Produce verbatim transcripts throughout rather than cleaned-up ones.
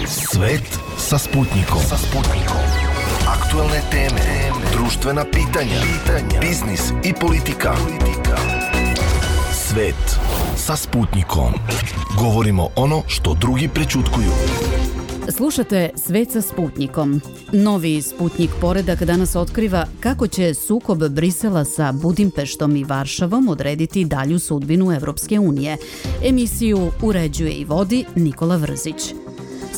Svet sa Sputnikom. Sa Sputnikom. Aktuelne teme, društvena pitanja, pitanja, biznis i politika. politika. Svet sa Sputnikom. Govorimo ono što drugi prećutkuju. Slušate Svet sa Sputnikom. Novi Sputnik poredak danas otkriva kako će sukob Brisela sa Budimpeštom i Varšavom odrediti dalju sudbinu Evropske unije. Emisiju uređuje i vodi Nikola Vrzić.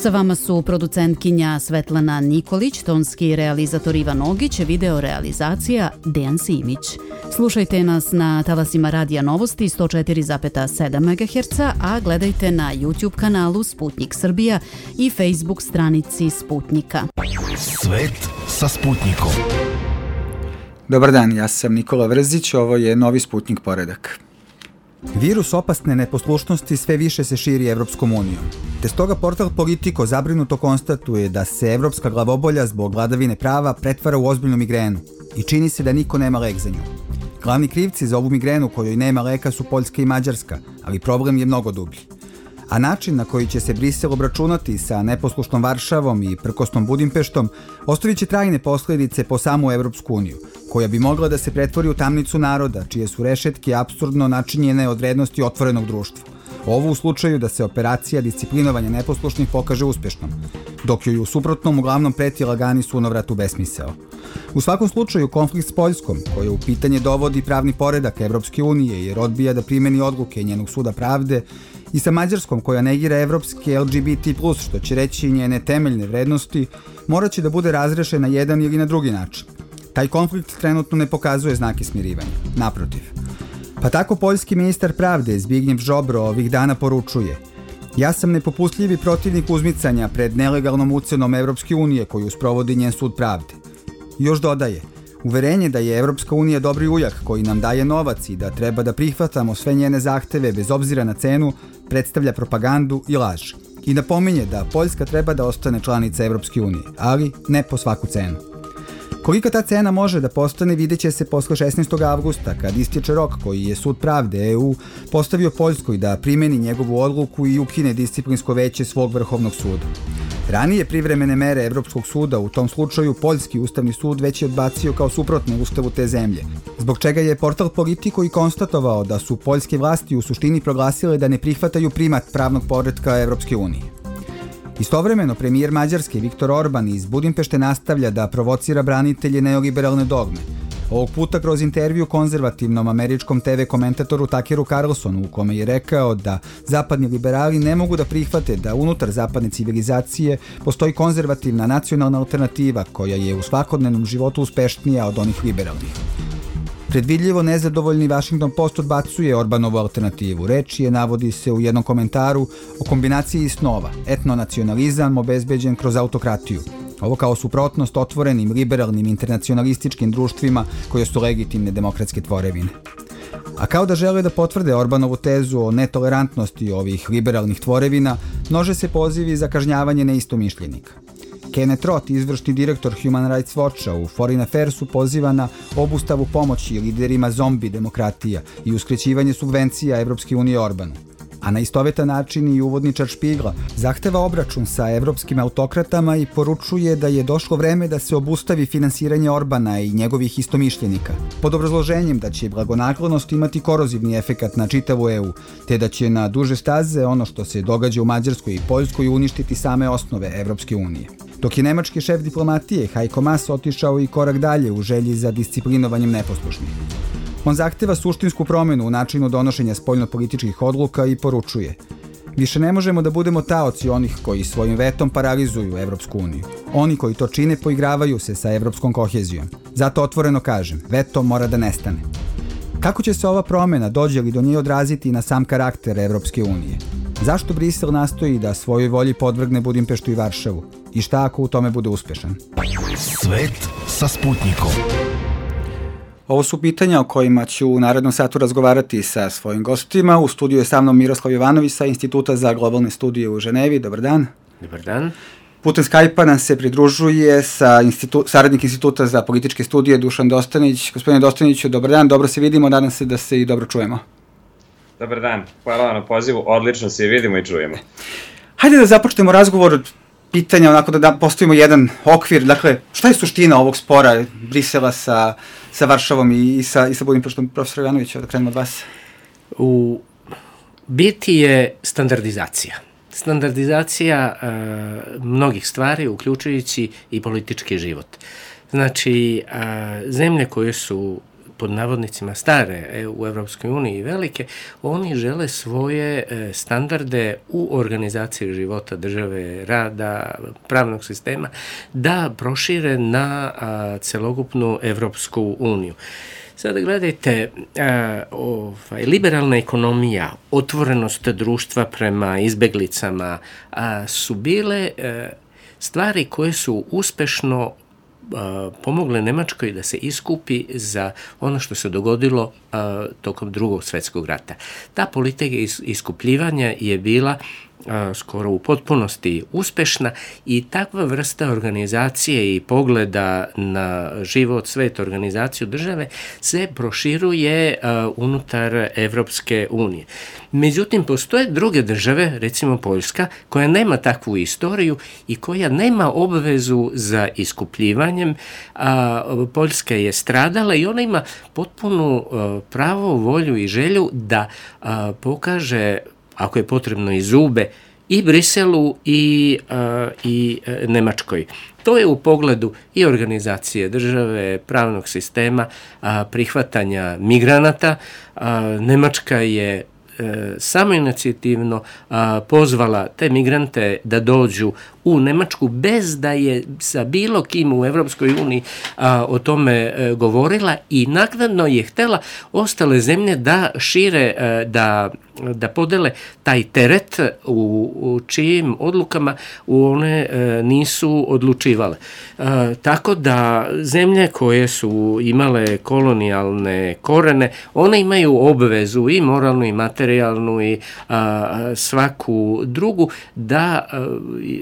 Sa vama su producentkinja Svetlana Nikolić, tonski realizator Ivan Ogić, video realizacija Dejan Simić. Slušajte nas na talasima Radija Novosti sto četiri zarez sedam megaherca, a gledajte na YouTube kanalu Sputnik Srbija i Facebook stranici Sputnika. Svet sa Sputnikom. Dobar dan, ja sam Nikola Vrzić, ovo je novi Sputnik poredak. Virus opasne neposlušnosti sve više se širi Evropskom unijom. Te stoga portal Politico zabrinuto konstatuje da se evropska glavobolja zbog vladavine prava pretvara u ozbiljnu migrenu i čini se da niko nema lek za nju. Glavni krivci za ovu migrenu kojoj nema leka su Poljska i Mađarska, ali problem je mnogo dublji. A način na koji će se Brisel obračunati sa neposlušnom Varšavom i prkosnom Budimpeštom ostavit će trajne posljedice po samu Evropsku uniju, koja bi mogla da se pretvori u tamnicu naroda, čije su rešetke apsurdno načinjene od vrednosti otvorenog društva. Ovo u slučaju da se operacija disciplinovanja neposlušnih pokaže uspešnom, dok joj u suprotnom uglavnom preti lagani sunovrat u besmisao. U svakom slučaju, konflikt s Poljskom, koja u pitanje dovodi pravni poredak Evropske unije jer odbija da primeni odluke njenog suda pravde, i sa Mađarskom, koja negira evropske L G B T plus, što će reći njene temeljne vrednosti, morat će da bude razrešen na jedan ili na drugi način. Taj konflikt trenutno ne pokazuje znake smirivanja. Naprotiv. Pa tako poljski ministar pravde Zbigniew Ziobro ovih dana poručuje: ja sam nepopustljivi protivnik uzmicanja pred nelegalnom ucenom Evropske unije koju sprovodi njen sud pravde. Još dodaje: uverenje da je Evropska unija dobri ujak koji nam daje novac i da treba da prihvatamo sve njene zahteve bez obzira na cenu predstavlja propagandu i laž. I napominje da Poljska treba da ostane članica Evropske unije, ali ne po svaku cenu. Kolika ta cena može da postane vidjet će se posle šesnaestog avgusta, kad istječe rok koji je Sud pravde E U postavio Poljskoj da primeni njegovu odluku i ukine disciplinsko veće svog vrhovnog suda. Ranije privremene mere Evropskog suda u tom slučaju Poljski ustavni sud već je odbacio kao suprotne ustavu te zemlje, zbog čega je portal Politico i konstatovao da su poljske vlasti u suštini proglasile da ne prihvataju primat pravnog poretka Evropske unije. Istovremeno, premijer Mađarske Viktor Orban iz Budimpešte nastavlja da provocira branitelje neoliberalne dogme. Ovog puta kroz intervju konzervativnom američkom te ve komentatoru Tuckeru Carlsonu, u kome je rekao da zapadni liberali ne mogu da prihvate da unutar zapadne civilizacije postoji konzervativna nacionalna alternativa koja je u svakodnevnom životu uspešnija od onih liberalnih. Predvidljivo nezadovoljni Washington Post odbacuje Orbanovu alternativu. Reč je, navodi se u jednom komentaru, o kombinaciji snova, etnonacionalizam obezbeđen kroz autokratiju. Ovo kao suprotnost otvorenim, liberalnim, internacionalističkim društvima koje su legitimne demokratske tvorevine. A kao da žele da potvrde Orbanovu tezu o netolerantnosti ovih liberalnih tvorevina, množe se pozivi za kažnjavanje neistomišljenika. Kenneth Roth, izvršni direktor Human Rights Watcha u Foreign Affairsu, poziva na obustavu pomoći liderima zombi demokratija i uskraćivanje subvencija Evropske unije Orbanu. A na istovetan način i uvodničar Špigla zahteva obračun sa evropskim autokratama i poručuje da je došlo vreme da se obustavi finansiranje Orbana i njegovih istomišljenika, pod obrazloženjem da će blagonaklonost imati korozivni efekat na čitavu E U, te da će na duže staze ono što se događa u Mađarskoj i Poljskoj uništiti same osnove Evropske unije. Dok je nemački šef diplomatije Heiko Maas otišao i korak dalje u želji za disciplinovanjem neposlušnih. On zahteva suštinsku promenu u načinu donošenja spoljnopolitičkih odluka i poručuje: više ne možemo da budemo taoci onih koji svojim vetom paralizuju Evropsku uniju. Oni koji to čine poigravaju se sa evropskom kohezijom. Zato otvoreno kažem, veto mora da nestane. Kako će se ova promena, dođe li do nje, odraziti na sam karakter Evropske unije? Zašto Brisel nastoji da svojoj volji podvrgne Budimpeštu i Varšavu? I šta ako u tome bude uspešan? Svet sa Sputnikom. Ovo su pitanja o kojima ću u narednom satu razgovarati sa svojim gostima. U studiju je sa mnom Miroslav Jovanović sa Instituta za globalne studije u Ženevi. Dobar dan. Dobar dan. Putem Skype-a nam se pridružuje sa institu, saradnik Instituta za političke studije Dušan Dostanić. Gospodine Dostaniću, dobar dan, dobro se vidimo, nadam se da se i dobro čujemo. Dobar dan, hvala vam na pozivu, odlično se vidimo i čujemo. Hajde da započnemo razgovor pitanja, onako da, da postavimo jedan okvir. Dakle, šta je suština ovog spora Brisela sa, sa Varšavom i, i sa, i sa Budimpeštom? Profesor Jovanović, da krenemo od vas. U biti je standardizacija. Standardizacija e, mnogih stvari, uključujući i politički život. Znači, e, zemlje koje su pod navodnicima stare u Evropskoj uniji velike, oni žele svoje standarde u organizaciji života države, rada, pravnog sistema, da prošire na a, celokupnu Evropsku uniju. Sada gledajte, a, ovaj, liberalna ekonomija, otvorenost društva prema izbeglicama a, su bile a, stvari koje su uspešno pomogle Nemačkoj da se iskupi za ono što se dogodilo a, tokom drugog svetskog rata. Ta politika iskupljivanja je bila a, skoro u potpunosti uspešna i takva vrsta organizacije i pogleda na život, svet, organizaciju države se proširuje a, unutar Evropske unije. Međutim, postoje druge države, recimo Poljska, koja nema takvu istoriju i koja nema obvezu za iskupljivanjem. A, Poljska je stradala i ona ima potpunu a, pravo, volju i želju da a, pokaže, ako je potrebno, i zube i Briselu i, a, i a, Nemačkoj. To je u pogledu i organizacije države, pravnog sistema, a, prihvatanja migranata. A, Nemačka je samoinicijativno pozvala te migrante da dođu u Nemačku bez da je sa bilo kim u Evropskoj uniji o tome govorila i naknadno je htela ostale zemlje da šire, da, da podele taj teret u, u čijim odlukama one nisu odlučivale. Tako da zemlje koje su imale kolonijalne korene, one imaju obvezu i moralnu i materijalnu i a, svaku drugu da a,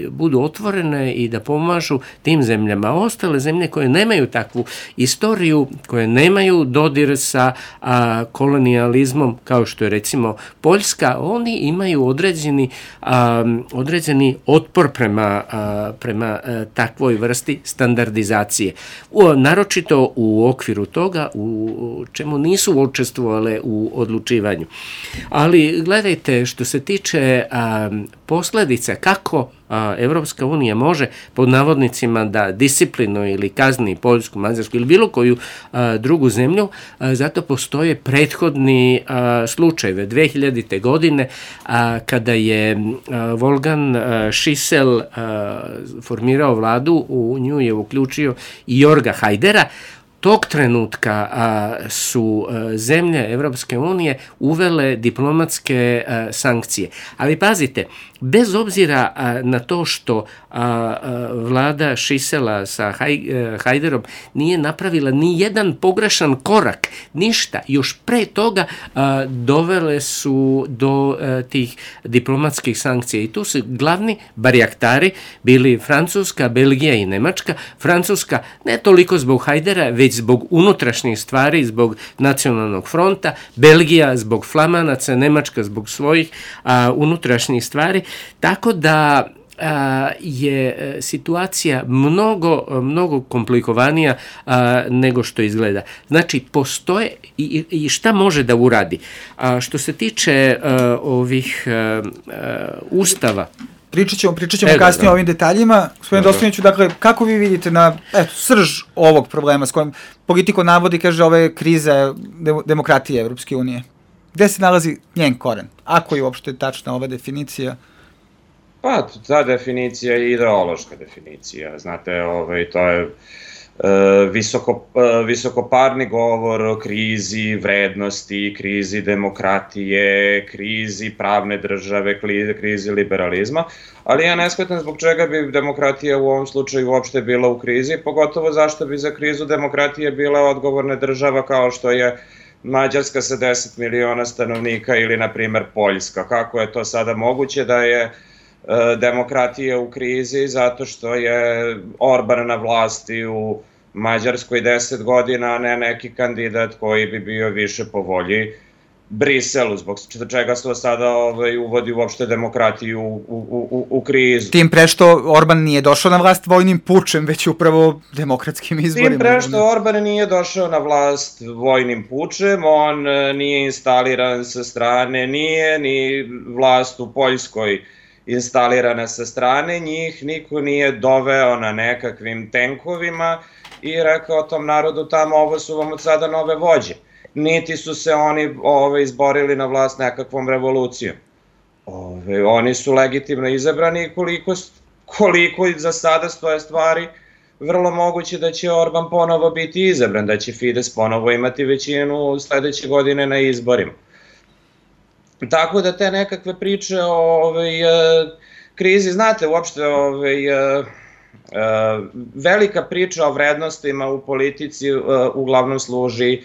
budu otvorene i da pomažu tim zemljama. Ostale zemlje koje nemaju takvu istoriju, koje nemaju dodir sa a, kolonijalizmom, kao što je recimo Poljska, oni imaju određeni, a, određeni otpor prema, a, prema a, takvoj vrsti standardizacije. U, naročito u okviru toga u čemu nisu učestvovale u odlučivanju. Ali gledajte, što se tiče a, posledice, kako a, Evropska unija može pod navodnicima da disciplinuje ili kazni Poljsku, Mađarsku ili bilo koju a, drugu zemlju, a, zato postoje prethodni a, slučajeve. dve hiljadite. godine a, kada je a, Wolfgang a, Schissel a, formirao vladu, u nju je uključio i Jorga Hajdera. Tog trenutka a, su a, zemlje Evropske unije uvele diplomatske a, sankcije. Ali pazite, bez obzira a, na to što a, a, vlada Schissela sa Haj, a, Hajderom nije napravila ni jedan pogrešan korak, ništa, još pre toga a, dovele su do a, tih diplomatskih sankcija. I tu su glavni barjaktari bili Francuska, Belgija i Nemačka. Francuska ne toliko zbog Hajdera, već zbog unutrašnjih stvari, zbog nacionalnog fronta, Belgija zbog Flamanaca, Nemačka zbog svojih a, unutrašnjih stvari, tako da a, je situacija mnogo, mnogo komplikovanija a, nego što izgleda. Znači, postoje i, i šta može da uradi. A, što se tiče a, ovih a, a, ustava, Pričat ćemo, pričat ćemo e, kasnije da, da. o ovim detaljima. Gospodin Dostojniću, dakle, kako vi vidite na eto, srž ovog problema s kojim politiko navodi, kaže, ove krize demokratije Evropske unije? Gde se nalazi njen koren? Ako je uopšte tačna ova definicija? Pa, ta definicija je ideološka definicija. Znate, ovaj, to je Visoko, visokoparni govor o krizi vrednosti, krizi demokratije, krizi pravne države, krizi liberalizma, ali ja ne shvatam zbog čega bi demokratija u ovom slučaju uopšte bila u krizi, pogotovo zašto bi za krizu demokratije bila odgovorna država kao što je Mađarska sa deset miliona stanovnika ili, na primer, Poljska. Kako je to sada moguće da je demokratija u krizi zato što je Orban na vlasti u Mađarskoj deset godina, a ne neki kandidat koji bi bio više po volji Briselu, zbog čega se sada ovaj, uvodi uopšte demokratiju u, u, u, u krizu. Tim pre što Orban nije došao na vlast vojnim pučem, već upravo demokratskim izborima. Tim pre što Orban nije došao na vlast vojnim pučem, on nije instaliran sa strane, nije ni vlast u Poljskoj instalirana sa strane, njih niko nije doveo na nekakvim tenkovima i rekao tom narodu tamo, ovo su vam od sada nove vođe. Niti su se oni ove, izborili na vlast nekakvom revolucijom. Ove, oni su legitimno izabrani i koliko, koliko za sada stoje stvari, vrlo moguće da će Orban ponovo biti izabran, da će Fides ponovo imati većinu sledeće godine na izborima. Tako da te nekakve priče o ove, krizi, znate, uopšte ove, velika priča o vrednostima u politici uglavnom služi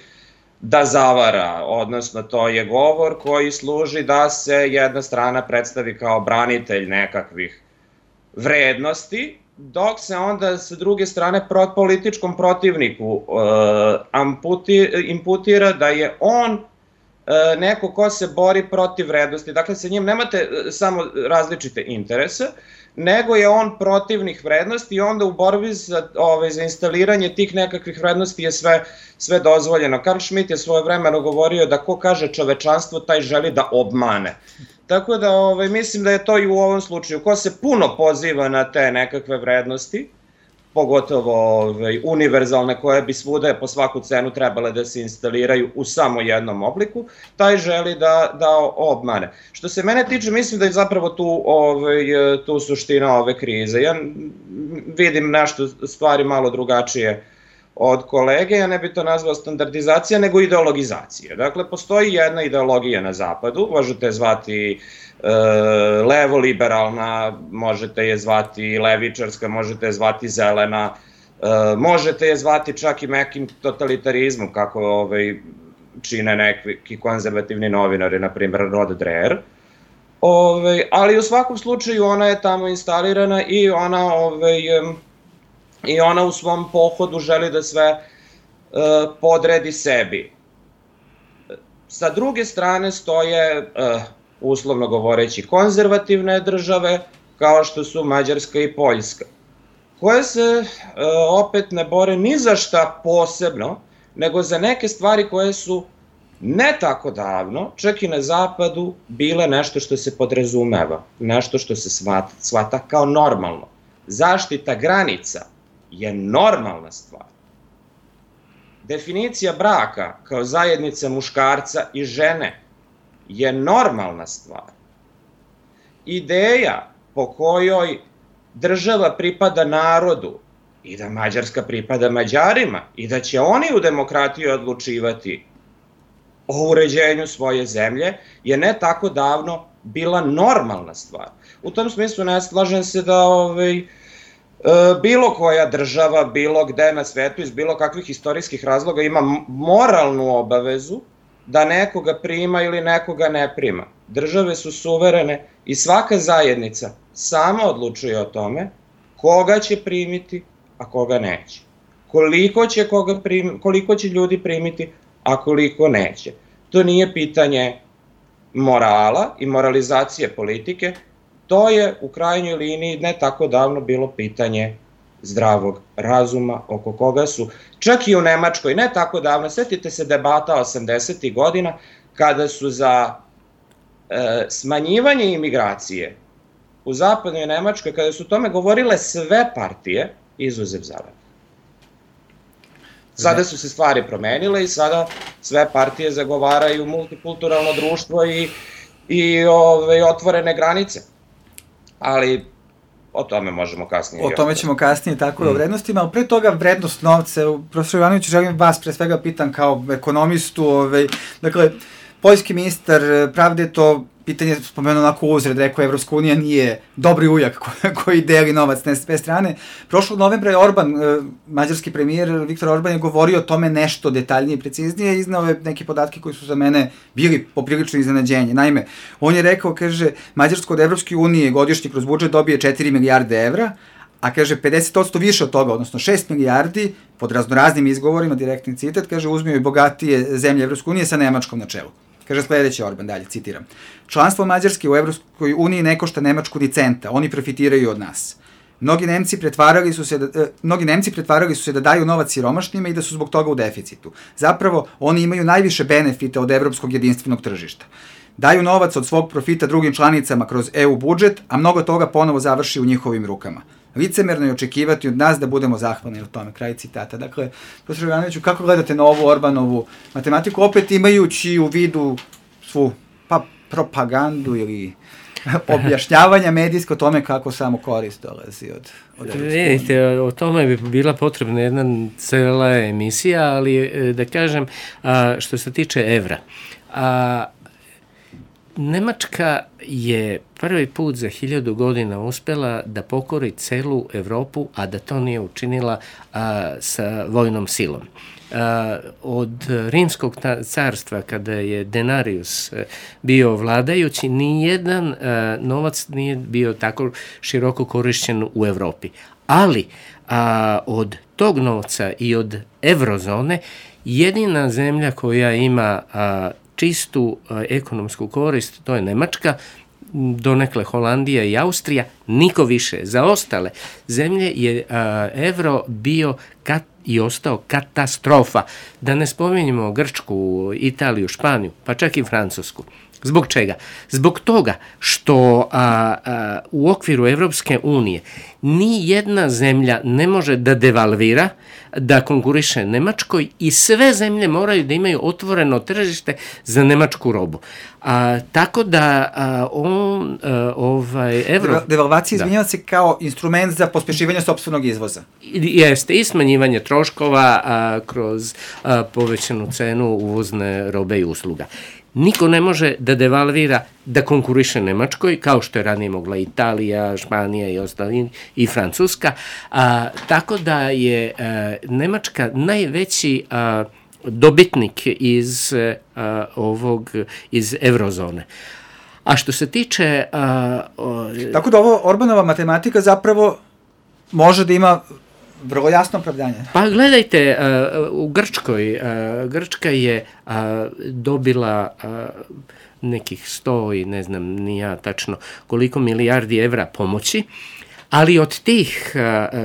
da zavara, odnosno to je govor koji služi da se jedna strana predstavi kao branitelj nekakvih vrednosti, dok se onda sa druge strane političkom protivniku imputira da je on neko ko se bori protiv vrednosti. Dakle, sa njim nemate samo različite interese, nego je on protivnik vrednosti i onda u borbi za, ove, za instaliranje tih nekakvih vrednosti je sve, sve dozvoljeno. Karl Schmitt je svoje vremeno govorio da ko kaže čovečanstvo, taj želi da obmane. Tako da ove, mislim da je to i u ovom slučaju. Ko se puno poziva na te nekakve vrednosti, pogotovo ove, univerzalne koje bi svuda po svaku cenu trebale da se instaliraju u samo jednom obliku, taj želi da, da obmane. Što se mene tiče, mislim da je zapravo tu, ove, tu suština ove krize. Ja vidim nešto stvari malo drugačije od kolege, ja ne bi to nazvao standardizacija, nego ideologizacija. Dakle, postoji jedna ideologija na zapadu, možete je zvati e, levo-liberalna, možete je zvati levičarska, možete je zvati zelena, e, možete je zvati čak i mekim totalitarizmom, kako ovaj, čine neki konzervativni novinari, na primjer Rod Dreher. Ove, ali u svakom slučaju ona je tamo instalirana i ona... Ove, i ona u svom pohodu želi da sve uh, podredi sebi. Sa druge strane stoje, uh, uslovno govoreći, konzervativne države, kao što su Mađarska i Poljska, koje se uh, opet ne bore ni za šta posebno, nego za neke stvari koje su ne tako davno, čak i na zapadu, bile nešto što se podrazumeva, nešto što se shvata, shvata kao normalno. Zaštita granica je normalna stvar. Definicija braka kao zajednica muškarca i žene je normalna stvar. Ideja po kojoj država pripada narodu i da Mađarska pripada Mađarima i da će oni u demokratiji odlučivati o uređenju svoje zemlje je ne tako davno bila normalna stvar. U tom smislu ne slažem se da ovaj, bilo koja država, bilo gde na svetu, iz bilo kakvih istorijskih razloga ima moralnu obavezu da nekoga prima ili nekoga ne prima. Države su suverene i svaka zajednica sama odlučuje o tome koga će primiti, a koga neće. Koliko će, koga prim, koliko će ljudi primiti, a koliko neće. To nije pitanje morala i moralizacije politike, to je u krajnjoj liniji ne tako davno bilo pitanje zdravog razuma oko koga su, čak i u Nemačkoj, ne tako davno, setite se debata osamdesetih godina, kada su za e, smanjivanje imigracije u zapadnoj Nemačkoj, kada su o tome govorile sve partije, izuzev Zelene. Sada su se stvari promenile i sada sve partije zagovaraju multikulturalno društvo i, i ove, otvorene granice. Ali o tome možemo kasnije. O tome ćemo kasnije, tako da o vrednostima, ali pre toga vrednost novca. Profesor Jovanović, želim vas pre svega pitan kao ekonomistu, ovaj, dakle, poljski ministar pravde je to pitanje spomenuo onako uzred, rekao Evropska unija nije dobri ujak koji, koji deli novac na sve strane. Prošlog novembra je Orban, mađarski premijer Viktor Orban je govorio o tome nešto detaljnije i preciznije, iznao je neke podatke koji su za mene bili poprilično iznenađenje. Naime, on je rekao, kaže, Mađarsko od Evropske unije godišnje kroz budžet dobije četiri milijarde evra, a kaže pedeset posto više od toga, odnosno šest milijardi, pod raznoraznim izgovorima, direktni citat, kaže, uzmio i bogatije zemlje Evropske unije sa Nemačkom na čelu. Kaže sledeći Orban, dalje, citiram. Članstvo Mađarske u Evropskoj uniji ne košta Nemačku ni centa, oni profitiraju od nas. Mnogi Nemci pretvarali su se da, eh, mnogi Nemci pretvarali su se da daju novac siromašnima i da su zbog toga u deficitu. Zapravo, oni imaju najviše benefita od evropskog jedinstvenog tržišta. Daju novac od svog profita drugim članicama kroz E U budžet, a mnogo toga ponovo završi u njihovim rukama. Licemerno je očekivati od nas da budemo zahvalni o tome. Kraj citata. Dakle, profesor Jovanoviću, kako gledate na ovu Orbanovu matematiku, opet imajući u vidu svu pa, propagandu ili objašnjavanja medijsko o tome kako samo korist dolazi od, od Evropske unije? Vidite, o tome bi bila potrebna jedna cela emisija, ali da kažem, a, što se tiče evra, a, Nemačka je prvi put za hiljadu godina uspela da pokori celu Evropu, a da to nije učinila a, sa vojnom silom. A, od Rimskog carstva, kada je Denarius bio vladajući, nijedan a, novac nije bio tako široko korišćen u Evropi. Ali a, od tog novca i od evrozone jedina zemlja koja ima a, čistu a, ekonomsku korist, to je Nemačka, donekle Holandija i Austrija, niko više. Za ostale zemlje je a, evro bio kat, i ostao katastrofa. Da ne spominjemo Grčku, Italiju, Španiju, pa čak i Francusku. Zbog čega? Zbog toga što a, a, u okviru Evropske unije ni jedna zemlja ne može da devalvira, da konkuriše Nemačkoj i sve zemlje moraju da imaju otvoreno tržište za nemačku robu. A, tako da a, on, a, ovaj, evro... Devalvacija izvinjava se kao instrument za pospešivanje sopstvenog izvoza. Jeste, i smanjivanje troškova a, kroz a, povećanu cenu uvozne robe i usluga. Niko ne može da devalvira, da konkuriše Nemačkoj, kao što je ranije mogla Italija, Španija i ostali, i Francuska. A, tako da je a, Nemačka najveći a, dobitnik iz a, ovog, iz evrozone. A što se tiče... A, o, tako da ovo Orbanova matematika zapravo može da ima vrlo jasno opravdanje. Pa gledajte, u Grčkoj, Grčka je dobila nekih sto i ne znam ni ja tačno koliko milijardi evra pomoći, ali od tih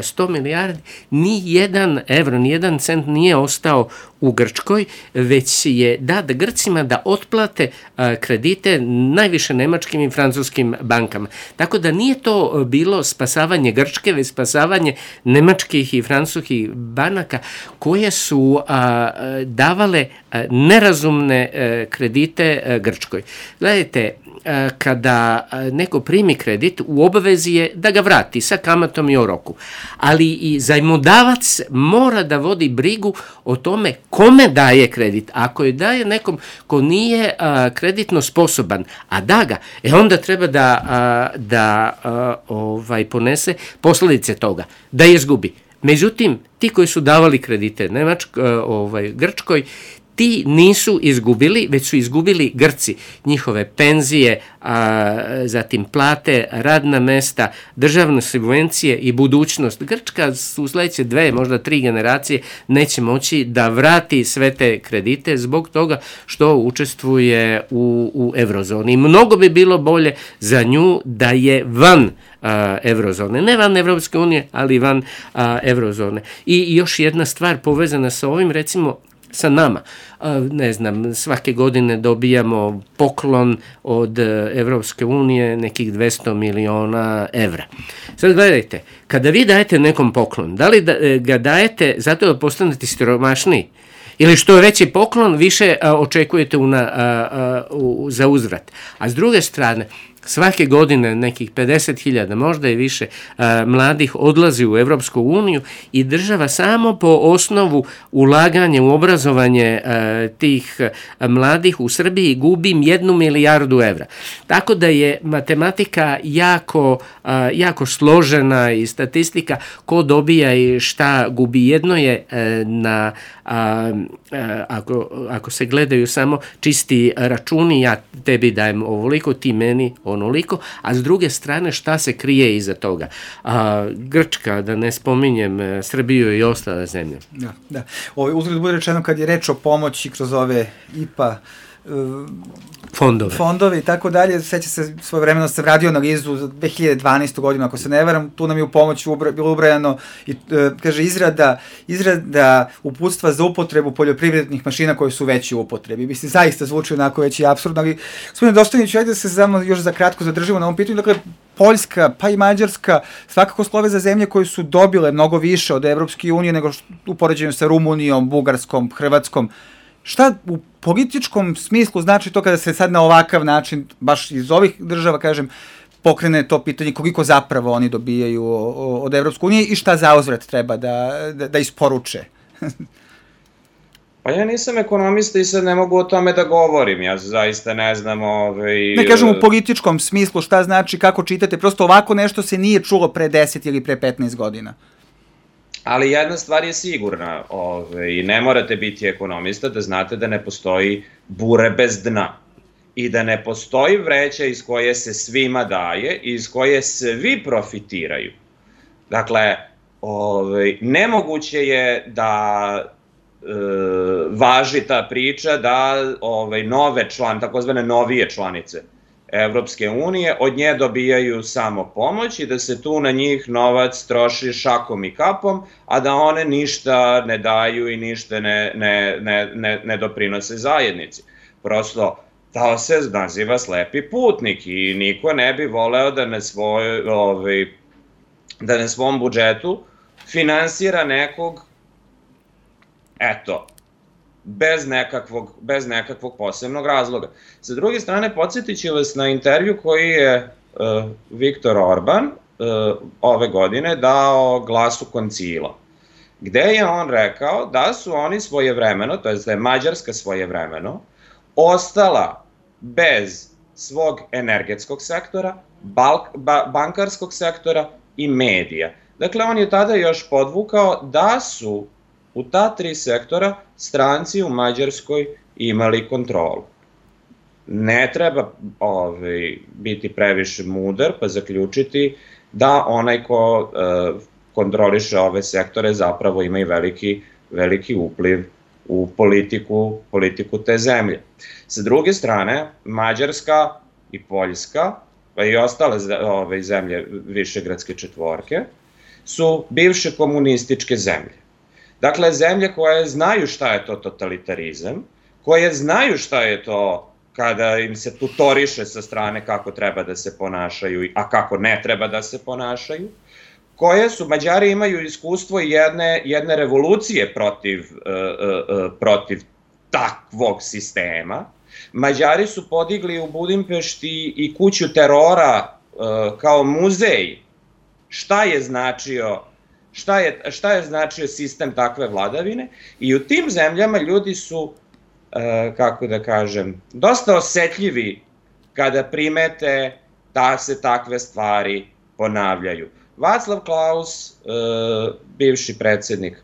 sto milijardi ni jedan evro, ni jedan cent nije ostao u Grčkoj, već je dat Grcima da otplate kredite najviše nemačkim i francuskim bankama. Tako da nije to bilo spasavanje Grčke, već spasavanje nemačkih i francuskih banaka koje su davale nerazumne kredite Grčkoj. Gledajte, kada neko primi kredit, u obavezi je da ga vrati sa kamatom i o roku. Ali i zajmodavac mora da vodi brigu o tome kome daje kredit. Ako je daje nekom ko nije a, kreditno sposoban, a da ga, e onda treba da, a, da a, ovaj, ponese posledice toga, da je izgubi. Međutim, ti koji su davali kredite Nemačkoj, ovaj, Grčkoj, ti nisu izgubili, već su izgubili Grci, njihove penzije, a, zatim plate, radna mesta, državne subvencije i budućnost. Grčka u sledeće dve, možda tri generacije neće moći da vrati sve te kredite zbog toga što učestvuje u, u evrozoni. Mnogo bi bilo bolje za nju da je van a, evrozone. Ne van Evropske unije, ali van a, evrozone. I, I još jedna stvar povezana sa ovim, recimo, sa nama. Ne znam, svake godine dobijamo poklon od Evropske unije nekih dvesta miliona evra. Sad gledajte, kada vi dajete nekom poklon, da li da, ga dajete zato da postanete siromašniji? Ili što je veći poklon, više a, očekujete una, a, a, u, za uzvrat. A s druge strane, svake godine nekih pedeset hiljada, možda i više, a, mladih odlazi u Evropsku uniju i država samo po osnovu ulaganja u obrazovanje a, tih a, mladih u Srbiji gubi jednu milijardu evra. Tako da je matematika jako, a, jako složena i statistika ko dobija i šta gubi. Jedno je a, na... A, Ako, ako se gledaju samo čisti računi, ja tebi dajem ovoliko, ti meni onoliko, a s druge strane šta se krije iza toga? A, Grčka, da ne spominjem Srbiju i ostale zemlje. Da, da. Ovo uzgled bude rečeno kad je reč o pomoći kroz ove I P A fondove. fondove i tako dalje. Seća se, svojevremeno sam radio analizu za dve hiljade dvanaestu. godinu, ako se ne varam, tu nam je u pomoć ubra, bilo ubrajano i, e, kaže, izrada, izrada uputstva za upotrebu poljoprivrednih mašina koje su veće u upotrebi. Mislim, zaista zvuči onako već i apsurdno, ali gospodine Dostojniću, ajde da se samo još za kratko zadržimo na ovom pitanju. Dakle, Poljska, pa i Mađarska, svakako slove za zemlje koje su dobile mnogo više od Evropske unije nego što, u poređenju sa Rumunijom, Bugarskom, Hrvatskom. Šta u političkom smislu znači to kada se sad na ovakav način, baš iz ovih država, kažem, pokrene to pitanje koliko zapravo oni dobijaju od Evropske unije i šta zauzvrat treba da, da, da isporuče? Pa ja nisam ekonomista i sad ne mogu o tome da govorim, ja zaista ne znam... Ovaj, ne kažem u političkom smislu šta znači, kako čitate, prosto ovako nešto se nije čulo pre deset ili pre petnaest godina. Ali jedna stvar je sigurna, ovaj, ne morate biti ekonomista da znate da ne postoji bure bez dna i da ne postoji vreća iz koje se svima daje i iz koje svi profitiraju. Dakle, ovaj, nemoguće je da e, važi ta priča da ovaj, nove član, takozvane novije članice Evropske unije od nje dobijaju samo pomoć i da se tu na njih novac troši šakom i kapom, a da one ništa ne daju i ništa ne, ne, ne, ne, ne doprinose zajednici. Prosto, to se naziva slepi putnik i niko ne bi voleo da na, svoj, ovaj, da na svom budžetu finansira nekog, eto, bez nekakvog, bez nekakvog posebnog razloga. Sa druge strane, podsjetit ću vas na intervju koji je uh, Viktor Orban uh, ove godine dao Glasu Koncila, gde je on rekao da su oni svojevremeno, to je da je Mađarska svojevremeno, ostala bez svog energetskog sektora, balk, ba, bankarskog sektora i medija. Dakle, on je tada još podvukao da su u ta tri sektora stranci u Mađarskoj imali kontrolu. Ne treba ovaj, biti previše mudar pa zaključiti da onaj ko e, kontroliše ove sektore zapravo ima i veliki, veliki upliv u politiku, politiku te zemlje. Sa druge strane, Mađarska i Poljska, pa i ostale ove zemlje Višegradske četvorke, su bivše komunističke zemlje. Dakle, zemlje koje znaju šta je to totalitarizam, koje znaju šta je to kada im se tutoriše sa strane kako treba da se ponašaju, a kako ne treba da se ponašaju, koje su, Mađari imaju iskustvo jedne, jedne revolucije protiv, uh, uh, protiv takvog sistema. Mađari su podigli u Budimpešti i kuću terora uh, kao muzej. Šta je značio Šta je, šta je značio sistem takve vladavine i u tim zemljama ljudi su, e, kako da kažem, dosta osetljivi kada primete da se takve stvari ponavljaju. Václav Klaus, e, bivši predsjednik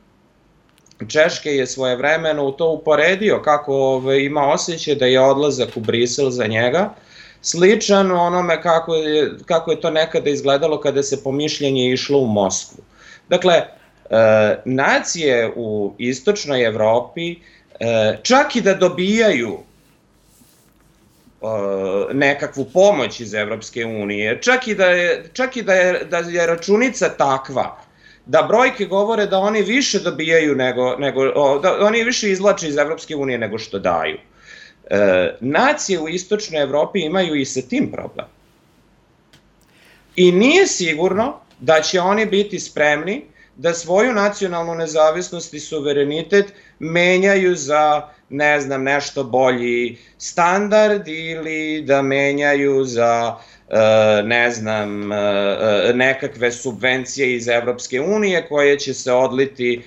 Češke, je svojevremeno u to uporedio kako ove, ima osjećaj da je odlazak u Brisel za njega sličan onome kako je, kako je to nekada izgledalo kada se po mišljenje išlo u Moskvu. Dakle, e, nacije u istočnoj Evropi, e, čak i da dobijaju e, nekakvu pomoć iz Evropske unije, čak i da je, čak i da je, da je računica takva, da brojke govore da oni više dobijaju nego, nego o, da oni više izvlače iz Evropske unije nego što daju. E, nacije u istočnoj Evropi imaju i sa tim problem. I nije sigurno da će oni biti spremni da svoju nacionalnu nezavisnost i suverenitet menjaju za, ne znam, nešto bolji standard ili da menjaju za, ne znam, nekakve subvencije iz Evropske unije koje će se odliti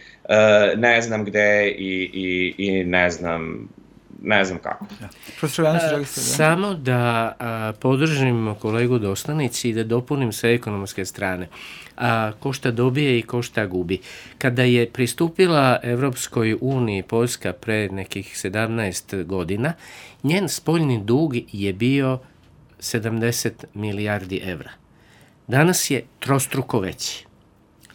ne znam gde i, i, i ne znam, ne znam kako. A, samo da a, podržim kolegu Dostanici i da dopunim sa ekonomske strane. A, ko šta dobije i ko šta gubi. Kada je pristupila Evropskoj uniji Poljska pre nekih sedamnaest godina, njen spoljni dug je bio sedamdeset milijardi evra. Danas je trostruko veći.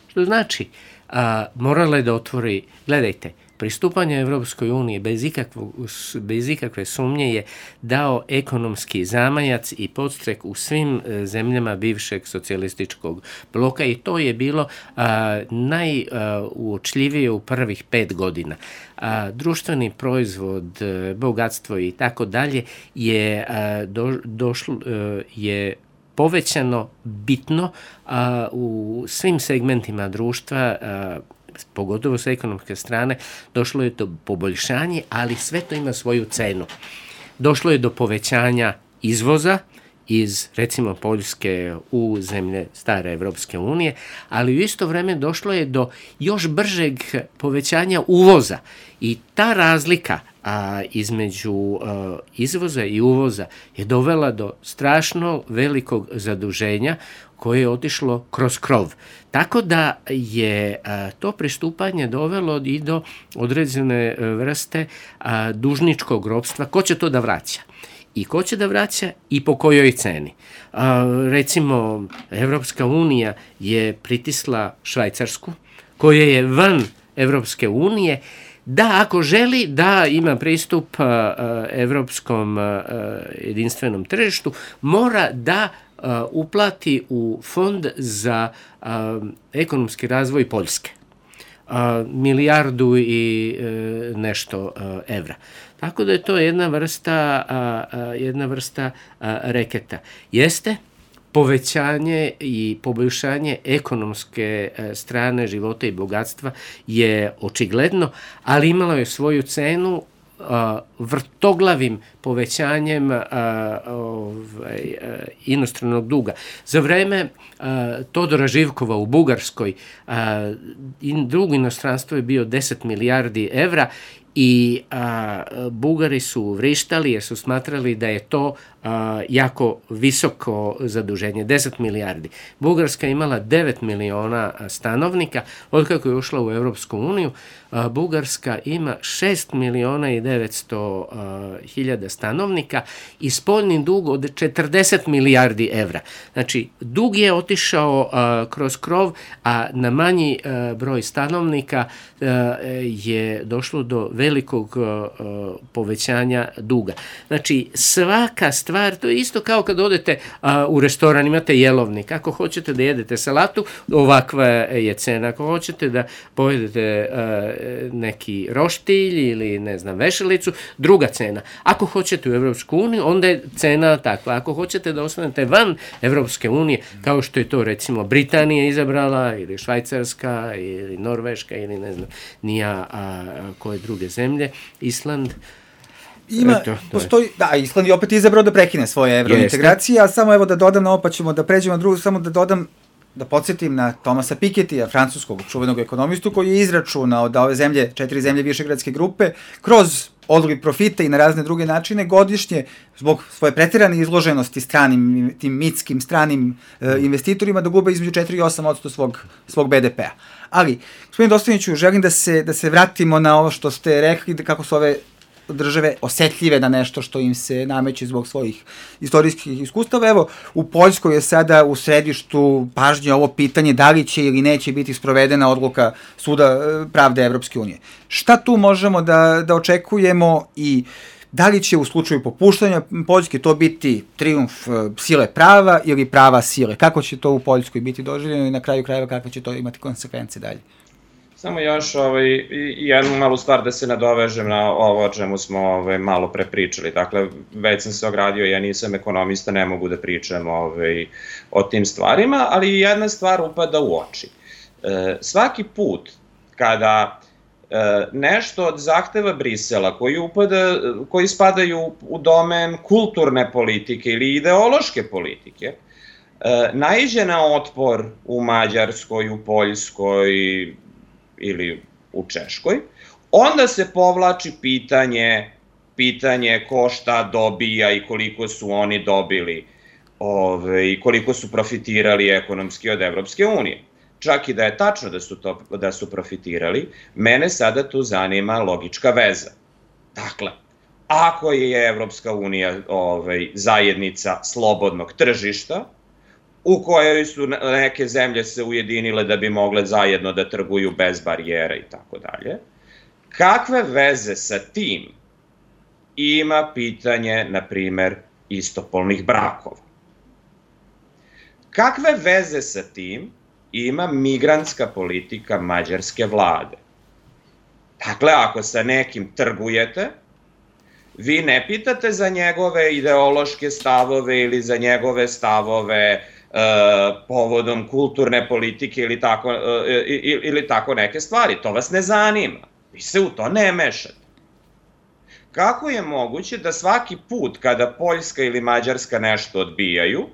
Što znači, a, morala je da otvori, gledajte, pristupanje Evropskoj uniji bez, bez ikakve sumnje je dao ekonomski zamajac i podstrek u svim zemljama bivšeg socijalističkog bloka i to je bilo a, najuočljivije u prvih pet godina. A, društveni proizvod, bogatstvo i tako dalje je a, do, došlo je povećano bitno a, u svim segmentima društva, a, pogotovo sa ekonomske strane, došlo je do poboljšanja, ali sve to ima svoju cenu. Došlo je do povećanja izvoza iz, recimo, Poljske u zemlje stare Evropske unije, ali u isto vreme došlo je do još bržeg povećanja uvoza i ta razlika a, između a, izvoza i uvoza je dovela do strašno velikog zaduženja koje je otišlo kroz krov. Tako da je a, to pristupanje dovelo i do određene vrste a, dužničkog ropstva. Ko će to da vraća? I ko će da vraća i po kojoj ceni. A, recimo, Evropska unija je pritisla Švajcarsku, koja je van Evropske unije, da ako želi da ima pristup a, a, evropskom a, jedinstvenom tržištu, mora da a, uplati u fond za a, ekonomski razvoj Poljske. A, milijardu i e, nešto a, evra. Tako da je to jedna vrsta, a, a, jedna vrsta a, reketa. Jeste povećanje i poboljšanje ekonomske a, strane života i bogatstva je očigledno, ali imalo je svoju cenu a, vrtoglavim povećanjem a, ovaj, a, inostranog duga. Za vreme a, Todora Živkova u Bugarskoj a, in, dug inostranstvo je bio deset milijardi evra i a, Bugari su vrištali jer su smatrali da je to a, jako visoko zaduženje, deset milijardi. Bugarska je imala devet miliona stanovnika, otkako je ušla u Evropsku uniju, a, Bugarska ima šest miliona i devetsto hiljada stanovnika i spoljni dug od četrdeset milijardi evra. Znači, dug je otišao a, kroz krov, a na manji a, broj stanovnika a, je došlo do velikog a, povećanja duga. Znači, svaka stvar, to je isto kao kad odete a, u restoran, imate jelovnik. Ako hoćete da jedete salatu, ovakva je cena. Ako hoćete da pojedete a, neki roštilj ili, ne znam, vešalicu, druga cena. Ako hoćete u Evropsku uniju, onda je cena takva. Ako hoćete da ostanete van Evropske unije, kao što je to, recimo, Britanija izabrala, ili Švajcarska, ili Norveška, ili ne znam, nija a, a, koje druge zemlje, Island. Ima, Eto, postoji, da, Island je opet izabrao da prekine svoje evrointegracije, a samo evo da dodam na ovo, pa ćemo da pređemo na drugu, samo da dodam, da podsjetim na Thomasa Pikettyja, francuskog čuvenog ekonomistu, koji je izračunao da ove zemlje, četiri zemlje Višegradske grupe, kroz odliv profita i na razne druge načine godišnje, zbog svoje preterane izloženosti stranim, tim mitskim stranim e, investitorima, da gube između četiri i osam posto svog, svog be de pe a. Ali, gospodin Dostojniću, želim da se, da se vratimo na ovo što ste rekli, da kako su ove države osetljive na nešto što im se nameće zbog svojih istorijskih iskustava. Evo, u Poljskoj je sada u središtu pažnje ovo pitanje da li će ili neće biti sprovedena odluka Suda pravde Evropske unije. Šta tu možemo da, da očekujemo i da li će u slučaju popuštanja Poljske to biti trijumf sile prava ili prava sile? Kako će to u Poljskoj biti doživljeno i na kraju krajeva kakve će to imati konsekvence dalje? Samo još ovaj, jednu malu stvar da se nadovežem na ovo o čemu smo ovaj, malo prepričali. Dakle, već sam se ogradio, ja nisam ekonomista, ne mogu da pričam ovaj, o tim stvarima, ali jedna stvar upada u oči. E, svaki put kada e, nešto od zahteva Brisela koji, upada, koji spadaju u domen kulturne politike ili ideološke politike, e, naiđe na otpor u Mađarskoj, u Poljskoj, ili u Češkoj, onda se povlači pitanje, pitanje ko šta dobija i koliko su oni dobili ove, i koliko su profitirali ekonomski od Evropske unije. Čak i da je tačno da su, to, da su profitirali, mene sada tu zanima logička veza. Dakle, ako je Evropska unija ove, zajednica slobodnog tržišta, u kojoj su neke zemlje se ujedinile da bi mogle zajedno da trguju bez barijera i tako dalje. Kakve veze sa tim ima pitanje, na primer, istopolnih brakova? Kakve veze sa tim ima migrantska politika mađarske vlade? Dakle, ako sa nekim trgujete, vi ne pitate za njegove ideološke stavove ili za njegove stavove e, povodom kulturne politike ili tako, e, ili tako neke stvari. To vas ne zanima. Vi se u to ne mešate. Kako je moguće da svaki put kada Poljska ili Mađarska nešto odbijaju,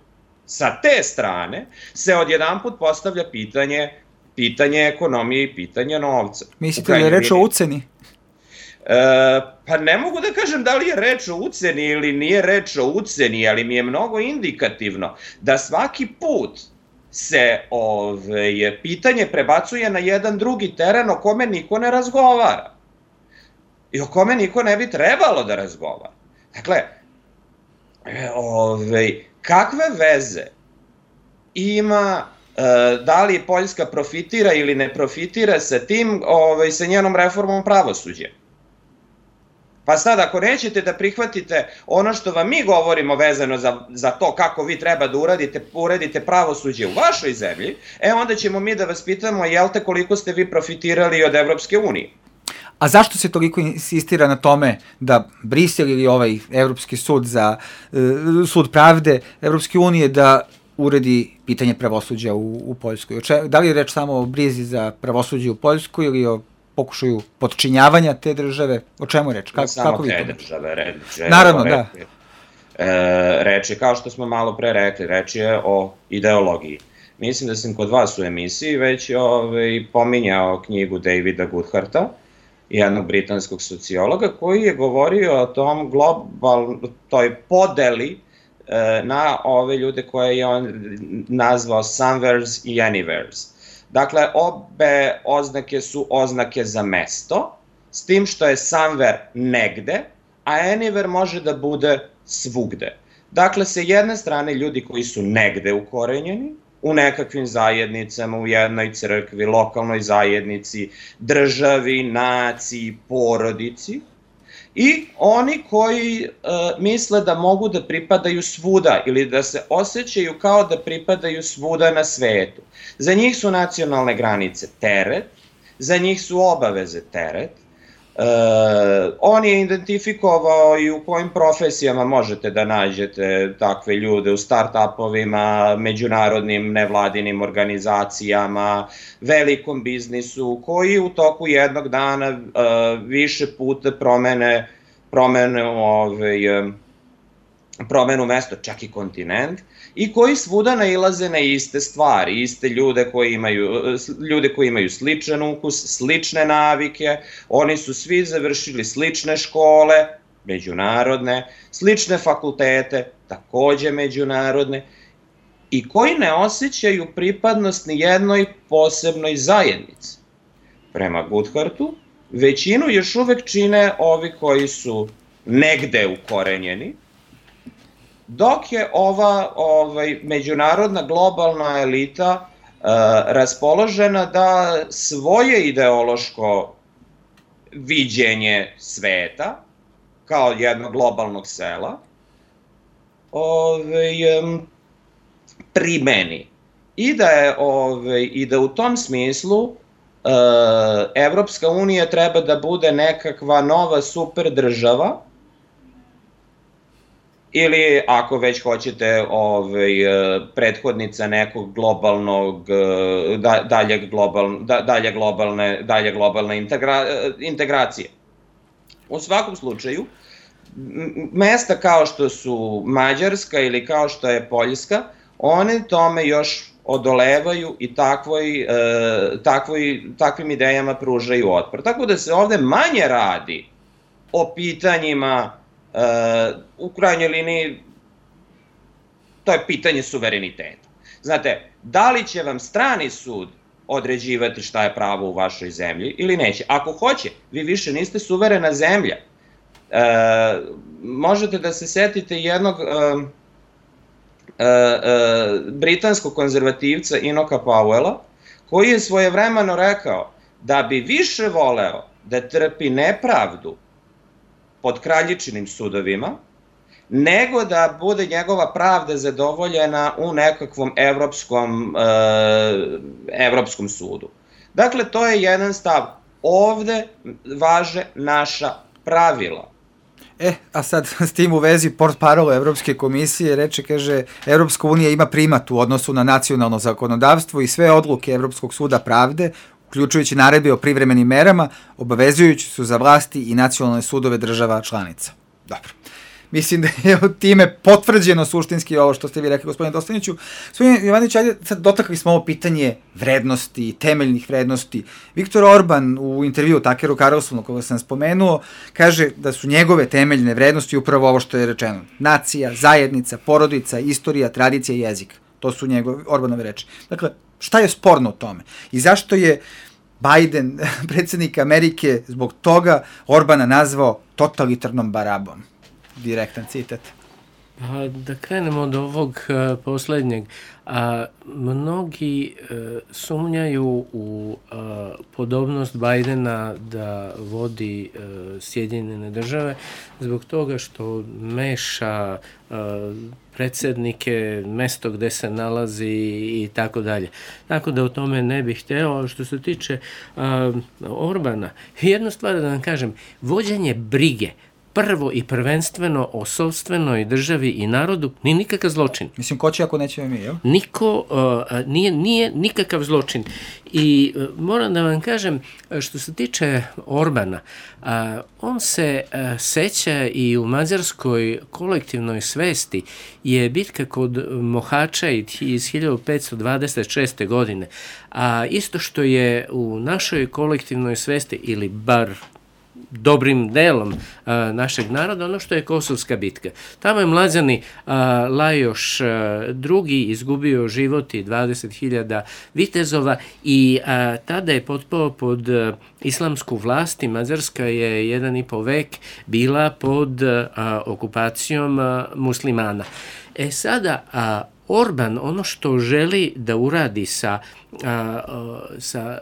sa te strane se odjedanput postavlja pitanje, pitanje ekonomije i pitanje novca? Mislite li je reč o uceni? E, pa ne mogu da kažem da li je reč o uceni ili nije reč o uceni, ali mi je mnogo indikativno da svaki put se ove, pitanje prebacuje na jedan drugi teren o kome niko ne razgovara i o kome niko ne bi trebalo da razgovara. Dakle, ove, kakve veze ima e, da li Poljska profitira ili ne profitira sa tim, ove, sa njenom reformom pravosuđa? Pa sad, ako nećete da prihvatite ono što vam mi govorimo vezano za, za to kako vi treba da uradite, uredite pravosuđe u vašoj zemlji, e onda ćemo mi da vas pitamo, jel te, koliko ste vi profitirali od Evropske unije? A zašto se toliko insistira na tome da Brisel ili ovaj Evropski sud za sud pravde Evropske unije da uredi pitanje pravosuđa u, u Poljskoj? Da li je reč samo o brizi za pravosuđe u Poljskoj ili o pokušaju potčinjavanja te države? O čemu reč? Kako, samo kako te države, reč je... Naravno, reč, da. E, reč je, kao što smo malo pre rekli, reč je o ideologiji. Mislim da sam kod vas u emisiji već ove, pominjao knjigu Davida Goodharta, jednog britanskog sociologa, koji je govorio o tom global, toj podeli e, na ove ljude koje je on nazvao somewheres i anywheres. Dakle, obe oznake su oznake za mesto, s tim što je somewhere negde, a anywhere može da bude svugde. Dakle, sa jedne strane ljudi koji su negde ukorenjeni, u nekakvim zajednicama, u jednoj crkvi, lokalnoj zajednici, državi, naciji, porodici, i oni koji e, misle da mogu da pripadaju svuda ili da se osjećaju kao da pripadaju svuda na svetu. Za njih su nacionalne granice teret, za njih su obaveze teret. E, on je identifikovao i u kojim profesijama možete da nađete takve ljude, u start-upovima, međunarodnim nevladinim organizacijama, velikom biznisu, koji u toku jednog dana e, više puta promene, promene ovaj, promenu mesto, čak i kontinent, i koji svuda nailaze na iste stvari, iste ljude koji imaju, ljude koji imaju sličan ukus, slične navike, oni su svi završili slične škole, međunarodne, slične fakultete, takođe međunarodne, i koji ne osjećaju pripadnost ni jednoj posebnoj zajednici. Prema Goodhartu, većinu još uvek čine ovi koji su negde ukorenjeni, dok je ova ovaj, međunarodna globalna elita uh, raspoložena da svoje ideološko viđenje sveta, kao jednog globalnog sela, ovaj, um, primeni. I da, je, ovaj, I da u tom smislu uh, Evropska unija treba da bude nekakva nova super država, ili ako već hoćete ovaj, prethodnica nekog globalnog, dalje, global, dalje globalne, dalje globalne integra, integracije. U svakom slučaju, mesta kao što su Mađarska ili kao što je Poljska, one tome još odolevaju i takvoj, takvoj, takvim idejama pružaju otpor. Tako da se ovde manje radi o pitanjima, Uh, u krajnjoj liniji, to je pitanje suvereniteta. Znate, da li će vam strani sud određivati šta je pravo u vašoj zemlji ili neće? Ako hoće, vi više niste suverena zemlja. Uh, možete da se setite jednog uh, uh, uh, britanskog konzervativca Enocha Powella, koji je svojevremeno rekao da bi više voleo da trpi nepravdu pod kraljičinim sudovima, nego da bude njegova pravda zadovoljena u nekakvom evropskom, e, evropskom sudu. Dakle, to je jedan stav. Ovde važe naša pravila. E, a sad s tim u vezi portparol Evropske komisije reče, kaže, Evropska unija ima primat u odnosu na nacionalno zakonodavstvo i sve odluke Evropskog suda pravde, uključujući naredbe o privremenim merama, obavezujući su za vlasti i nacionalne sudove država članica. Dobro. Mislim da je od time potvrđeno suštinski ovo što ste vi rekli, gospodine Dostaniću. Gospodine Jovanović, ajde, sad dotakli smo ovo pitanje vrednosti, temeljnih vrednosti. Viktor Orban u intervju Takeru Carlsonu, koga sam spomenuo, kaže da su njegove temeljne vrednosti upravo ovo što je rečeno. Nacija, zajednica, porodica, istorija, tradicija i jezik. To su njegove, Orbanove reči. Dakle, šta je sporno u tome? I zašto je Biden, predsjednik Amerike, zbog toga Orbana nazvao totalitarnom barabom? Direktan citat. A, da krenemo od ovog uh, posljednjeg. A, mnogi uh, sumnjaju u uh, podobnost Bidena da vodi uh, Sjedinjene države zbog toga što meša uh, predsjednike, mesto gde se nalazi i tako dalje. Tako da o tome ne bih hteo. Što se tiče uh, Orbana, jedna stvar da vam kažem, vođenje brige prvo i prvenstveno o sopstvenoj državi i narodu nije nikakav zločin. Mislim, ko će ako nećemo mi, jel? Niko, uh, nije, nije nikakav zločin. I uh, moram da vam kažem, što se tiče Orbana, uh, on se uh, seća i u mađarskoj kolektivnoj svesti je bitka kod Mohača iz hiljadu petsto dvadeset šeste. godine. A isto što je u našoj kolektivnoj svesti, ili bar dobrim delom a, našeg naroda, ono što je Kosovska bitka. Tamo je mlađani a, Lajoš a, drugi izgubio život i dvadeset hiljada vitezova i a, tada je potpao pod a, islamsku vlast i Mađarska je jedan i po vek bila pod a, okupacijom a, muslimana. E sada, a, Orban ono što želi da uradi sa, a, a, sa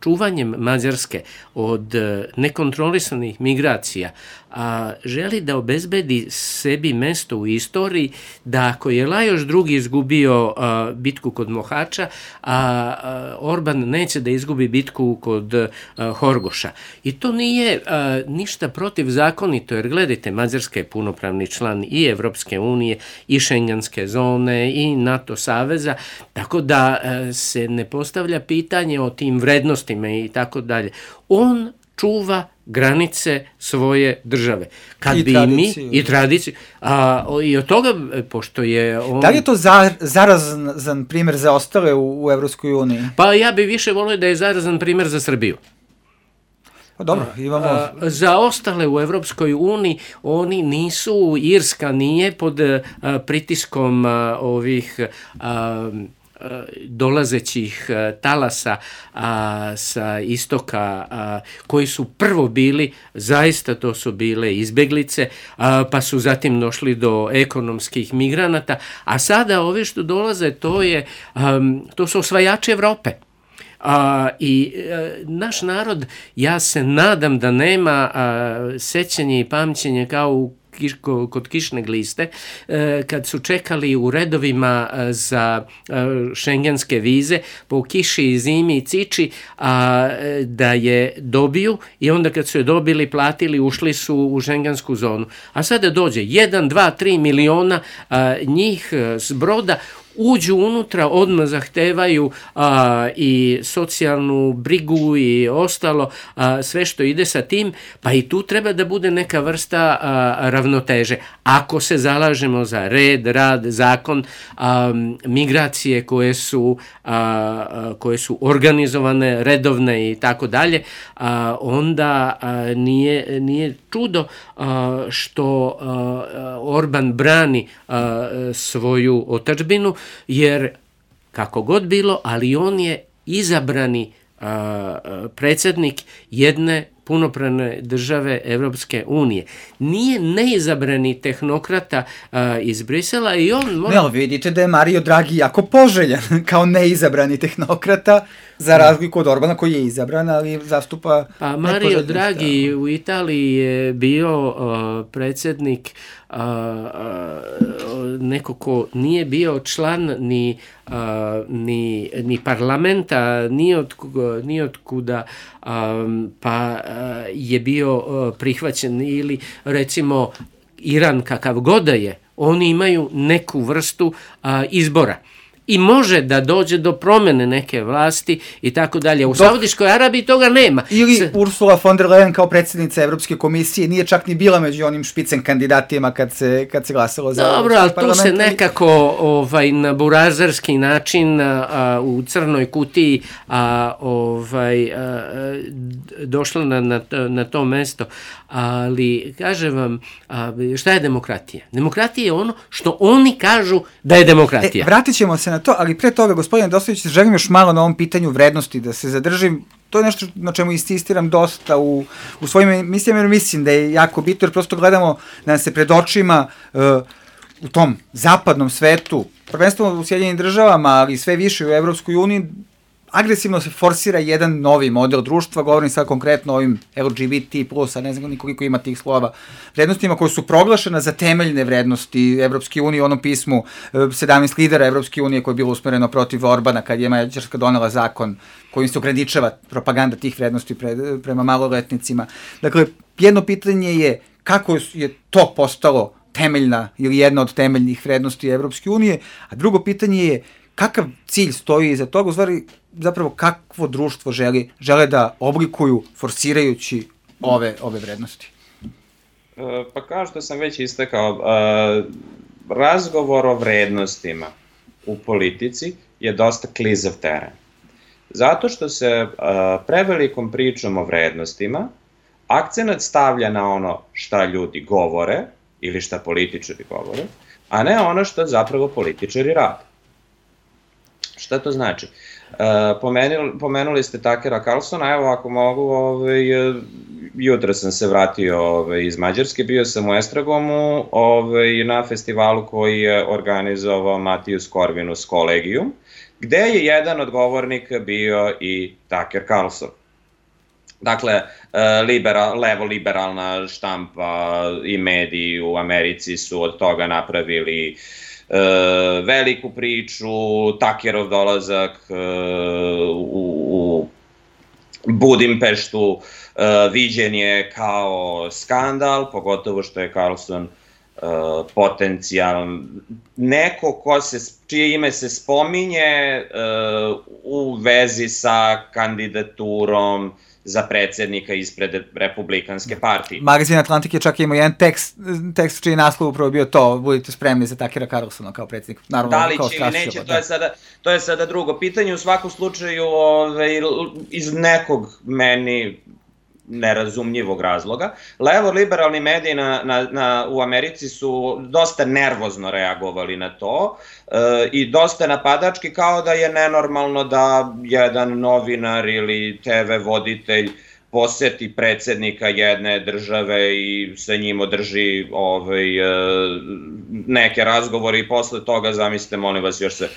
čuvanjem Mađarske od nekontrolisanih migracija, a želi da obezbedi sebi mesto u istoriji, da ako je Lajoš drugi izgubio a, bitku kod Mohača, a, a Orban neće da izgubi bitku kod a, Horgoša. I to nije a, ništa protivzakonito, jer gledajte, Mađarska je punopravni član i Evropske unije, i Šengenske zone, i NATO saveza, tako da a, se ne postavlja pitanje o tim vrednostima i tako dalje. On čuva granice svoje države. Kad I bi tradiciju. mi i tradiciju, a i od toga, pošto je on... Da li je to za, zarazan primjer za ostale u, u Evropskoj uniji? Pa ja bi više volio da je zarazan primjer za Srbiju. Pa dobro, imamo... A, za ostale u Evropskoj uniji, oni nisu, Irska nije pod a, pritiskom a, ovih... A, dolazećih talasa a, sa istoka, a, koji su prvo bili, zaista to su bile izbeglice, a, pa su zatim došli do ekonomskih migranata, a sada ove što dolaze, to, je, a, to su osvajači Evrope. A, i a, naš narod, ja se nadam da nema a, sećanje i pamćenje kao u kod kišne gliste, kad su čekali u redovima za šengenske vize po kiši i zimi i ciči, a, da je dobiju i onda kad su je dobili, platili, ušli su u šengensku zonu. A sada dođe jedan, dva, tri miliona a, njih s broda, uđu unutra, odmah zahtevaju a, i socijalnu brigu i ostalo, a, sve što ide sa tim, pa i tu treba da bude neka vrsta a, ravnoteže. Ako se zalažemo za red, rad, zakon, a, migracije koje su, a, a, koje su organizovane, redovne i tako dalje, a, onda a, nije, nije čudo a, što a, Orban brani a, svoju otadžbinu, jer kako god bilo, ali on je izabrani a, predsjednik jedne punopravne države Evropske unije. Nije neizabrani tehnokrata a, iz Brisela i on... Mora... Ne, ali vidite da je Mario Draghi jako poželjan kao neizabrani tehnokrata. Za razliku od Orbana koji je izabran, ali zastupa... Pa Mario Draghi u Italiji je bio uh, predsjednik uh, uh, neko ko nije bio član ni, uh, ni, ni parlamenta, ni od, ni od kuda, um, pa uh, je bio uh, prihvaćen ili recimo Iran kakav god da je, oni imaju neku vrstu a, izbora. I može da dođe do promene neke vlasti i tako dalje. U Saudijskoj Arabiji toga nema. Ili S... Ursula von der Leyen kao predsjednica Evropske komisije nije čak ni bila među onim špicen kandidatima kad se, kad se glasalo za Dobro, ali tu se nekako ovaj, na burazerski način a, u crnoj kutiji a, ovaj, a, došla na, na, na to mesto. Ali, kažem vam, a, šta je demokratija? Demokratija je ono što oni kažu da je demokratija. E, vratit ćemo se na to, ali pre toga, gospodine Doslević, želim još malo na ovom pitanju vrednosti da se zadržim. To je nešto na čemu insistiram dosta u, u svojim emisijama, jer mislim da je jako bitno, jer prosto gledamo da nam se pred očima uh, u tom zapadnom svetu, prvenstveno u Sjedinjenim državama, ali sve više u Evropskoj uniji, agresivno se forsira jedan novi model društva, govorim sad konkretno o ovim L G B T plus, a ne znam nikoliko ima tih slova, vrednostima koje su proglašene za temeljne vrednosti Evropske unije, u onom pismu sedamnaest lidera Evropske unije koje je bilo usmereno protiv Orbana kad je Mađarska donela zakon kojim se ograničava propaganda tih vrednosti pre, prema maloletnicima. Dakle, jedno pitanje je kako je to postalo temeljna ili jedna od temeljnih vrednosti Evropske unije, a drugo pitanje je kakav cilj stoji iza toga, u stvari zapravo kakvo društvo želi, žele da oblikuju forsirajući ove, ove vrednosti? Pa kao što sam već istakao, razgovor o vrednostima u politici je dosta klizav teren. Zato što se prevelikom pričom o vrednostima akcenat stavlja na ono šta ljudi govore ili šta političari govore, a ne ono što zapravo političari rade. Šta to znači? Uh, pomenuli, pomenuli ste Takera Carlsona, evo ako mogu, ovaj, jutro sam se vratio ovaj, iz Mađarske, bio sam u Estragomu ovaj, na festivalu koji je organizovao Matijus Corvinus Collegium, gde je jedan od govornika bio i Taker Carlson. Dakle, liberal, levo-liberalna štampa i mediji u Americi su od toga napravili Uh, veliku priču, Takerov dolazak uh, u, u Budimpeštu uh, viđen je kao skandal, pogotovo što je Carlson uh, potencijalan neko ko se, čije ime se spominje uh, u vezi sa kandidaturom za predsjednika ispred Republikanske partije. Magazin Atlantik je čak imao jedan tekst, tekst čiji je naslov upravo bio to, budite spremni za Takera Carlsona kao predsjednik. Naravno, da li će ili neće, to je, sada, to je sada drugo pitanje. U svakom slučaju, ove, iz nekog meni nerazumljivog razloga, levo-liberalni mediji na, na, na, u Americi su dosta nervozno reagovali na to e, i dosta napadački, kao da je nenormalno da jedan novinar ili te ve voditelj poseti predsjednika jedne države i sa njim održi ovaj, e, neke razgovore i posle toga, zamislite, molim vas, još se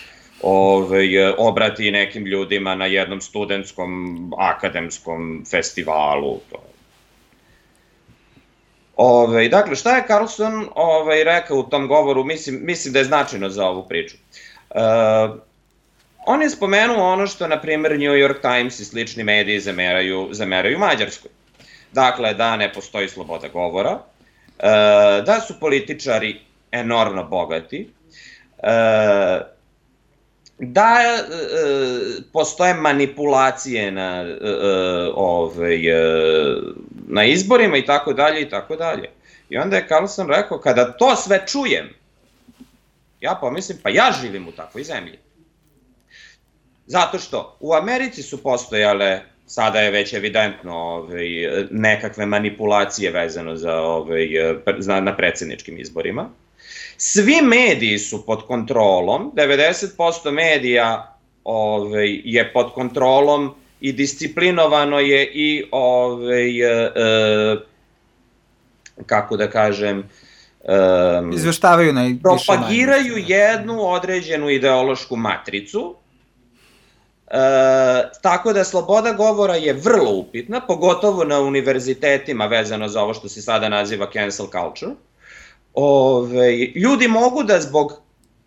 Ove, obrati nekim ljudima na jednom studentskom akademskom festivalu. Ove, dakle, šta je Carlson ove, rekao u tom govoru, mislim, mislim da je značajno za ovu priču. E, on je spomenuo ono što, na primjer, New York Times i slični mediji zameraju, zameraju Mađarskoj. Dakle, da ne postoji sloboda govora, e, da su političari enormno bogati, e, da e, postoje manipulacije na, e, ove, e, na izborima i tako dalje i tako dalje. I onda je Carlson rekao, kada to sve čujem, ja pomislim, pa ja živim u takvoj zemlji. Zato što u Americi su postojale, sada je već evidentno, ove, nekakve manipulacije vezano za, ove, na predsjedničkim izborima. Svi mediji su pod kontrolom, devedeset posto medija ove, je pod kontrolom i disciplinovano je i, ove, e, kako da kažem, e, izveštavaju najviše propagiraju jednu određenu ideološku matricu, tako da sloboda govora je vrlo upitna, pogotovo na univerzitetima vezano za ovo što se sada naziva cancel culture. Ove, ljudi mogu da zbog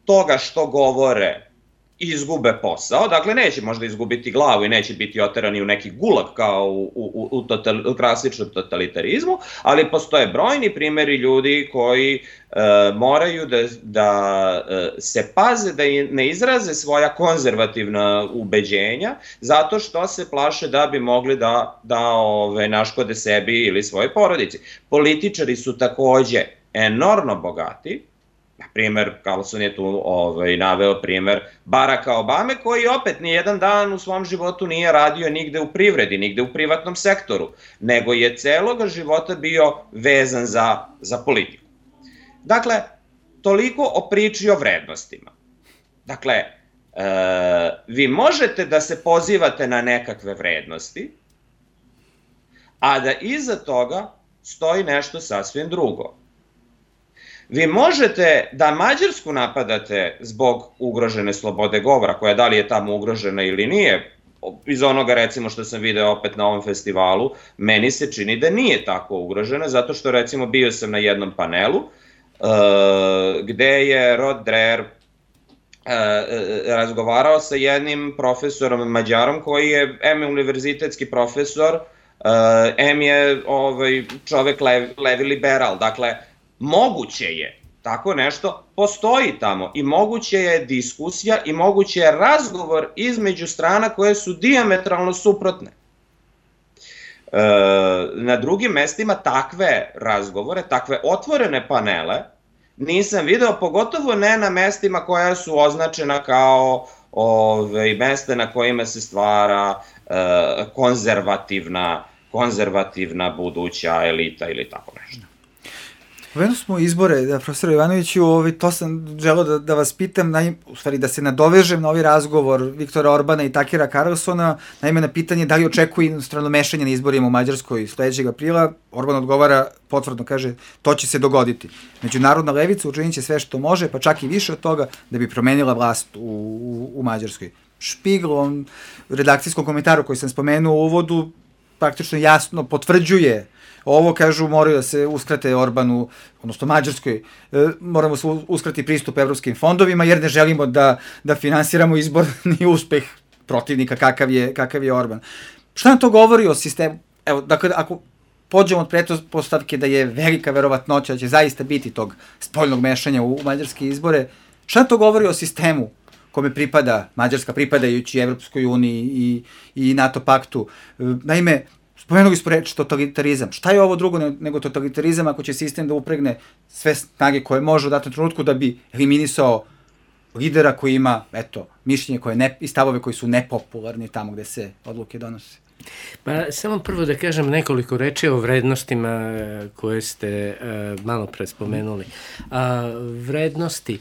toga što govore izgube posao, dakle neće možda izgubiti glavu i neće biti oterani u neki gulag kao u, u, u, total, u klasičnom totalitarizmu, ali postoje brojni primjeri ljudi koji e, moraju da, da e, se paze da ne izraze svoja konzervativna ubeđenja zato što se plaše da bi mogli da, da ove, naškode sebi ili svoje porodici. Političari su takođe enormno bogati. Na primer, Carlson je tu ovaj, naveo primer Baracka Obame, koji opet nijedan dan u svom životu nije radio nigde u privredi, nigde u privatnom sektoru, nego je celoga života bio vezan za, za politiku. Dakle, toliko o priči o vrednostima. Dakle, e, vi možete da se pozivate na nekakve vrednosti, a da iza toga stoji nešto sasvim drugo. Vi možete da Mađarsku napadate zbog ugrožene slobode govora, koja da li je tamo ugrožena ili nije, iz onoga recimo što sam video opet na ovom festivalu, meni se čini da nije tako ugrožena, zato što recimo bio sam na jednom panelu uh, gde je Rod Dreher uh, razgovarao sa jednim profesorom Mađarom koji je em univerzitetski profesor, uh, em je ovaj, čovek lev, levi liberal, dakle moguće je, tako nešto postoji tamo i moguće je diskusija i moguće je razgovor između strana koje su dijametralno suprotne. E, na drugim mestima takve razgovore, takve otvorene panele nisam video, pogotovo ne na mestima koja su označena kao ove, mesta na kojima se stvara e, konzervativna, konzervativna buduća elita ili tako nešto. Pomenuo smo izbore, da, profesor Jovanoviću, ovaj, to sam želeo da, da vas pitam, naj, u stvari da se nadovežem na ovaj razgovor Viktora Orbana i Takera Carlsona, naime na pitanje da li očekuje inostrano mešanje na izborima u Mađarskoj sledećeg aprila. Orban odgovara, potvrdno kaže, to će se dogoditi. Međunarodna levica učinit će sve što može, pa čak i više od toga, da bi promenila vlast u, u, u Mađarskoj. Špigl, on u redakcijskom komentaru koji sam spomenuo u uvodu, praktično jasno potvrđuje ovo, kažu, moraju da se uskrate Orbanu, odnosno Mađarskoj, e, moramo se uskrati pristup evropskim fondovima, jer ne želimo da, da finansiramo izborni uspeh protivnika kakav je, kakav je Orban. Šta nam to govori o sistemu? Evo, dakle, ako pođemo od pretpostavke da je velika verovatnoća da će zaista biti tog spoljnog mešanja u, u mađarske izbore, šta nam to govori o sistemu kome pripada Mađarska, pripadajući Evropskoj uniji i, i NATO paktu? E, naime, spomenuli smo reč totalitarizam. Šta je ovo drugo nego totalitarizam ako će sistem da upregne sve snage koje može u datom trenutku da bi eliminisao lidera koji ima, eto, mišljenje koje ne, i stavove koji su nepopularni tamo gde se odluke donose? Pa samo prvo da kažem nekoliko reči o vrednostima koje ste uh, malo pre spomenuli. Uh, vrednosti,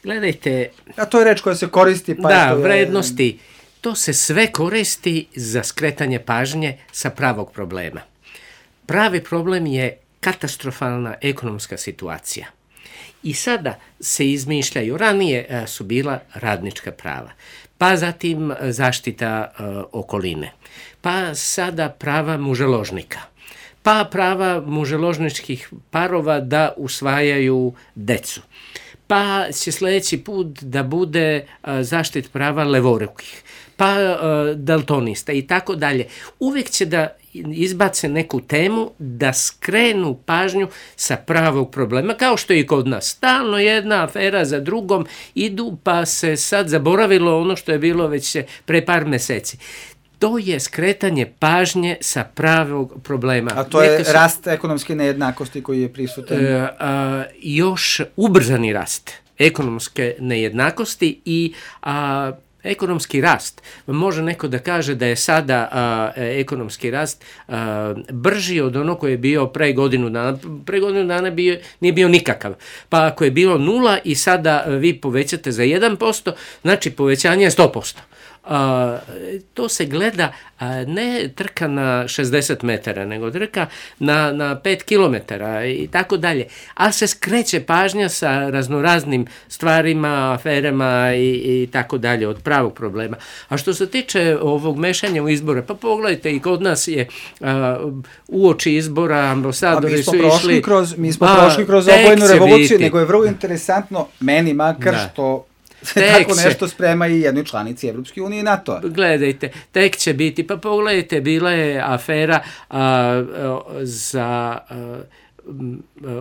gledajte... A to je reč koja se koristi, pa... Da, je... vrednosti... To se sve koristi za skretanje pažnje sa pravog problema. Pravi problem je katastrofalna ekonomska situacija. I sada se izmišljaju, ranije su bila radnička prava, pa zatim zaštita uh, okoline, pa sada prava muželožnika, pa prava muželožničkih parova da usvajaju decu, pa će sledeći put da bude uh, zaštit prava levorukih, pa uh, daltonista i tako dalje. Uvijek će da izbace neku temu da skrenu pažnju sa pravog problema, kao što je i kod nas. Stalno jedna afera za drugom idu, pa se sad zaboravilo ono što je bilo već pre par meseci. To je skretanje pažnje sa pravog problema. A to je se, rast ekonomske nejednakosti koji je prisutan? E, a, još ubrzani rast ekonomske nejednakosti i a, ekonomski rast. Može neko da kaže da je sada a, ekonomski rast a, brži od ono koje je bio pre godinu dana. Pre godinu dana bio, nije bio nikakav. Pa ako je bilo nula i sada vi povećate za jedan posto, znači povećanje je sto posto. a, to se gleda a, ne trka na šezdeset metara, nego trka na, na pet kilometara i tako dalje. Ali se skreće pažnja sa raznoraznim stvarima, aferama i, i tako dalje od pravog problema. A što se tiče ovog mešanja u izbore, pa pogledajte, i kod nas je a, uoči izbora ambasadori su išli... Kroz, mi smo a, prošli kroz obojenu revoluciju, biti. Nego je vrlo interesantno, meni makar, da. Što se tako nešto sprema i jednoj članici Evropske unije i NATO-a. Gledajte, tek će biti, pa pogledajte, bila je afera a, a, za... A,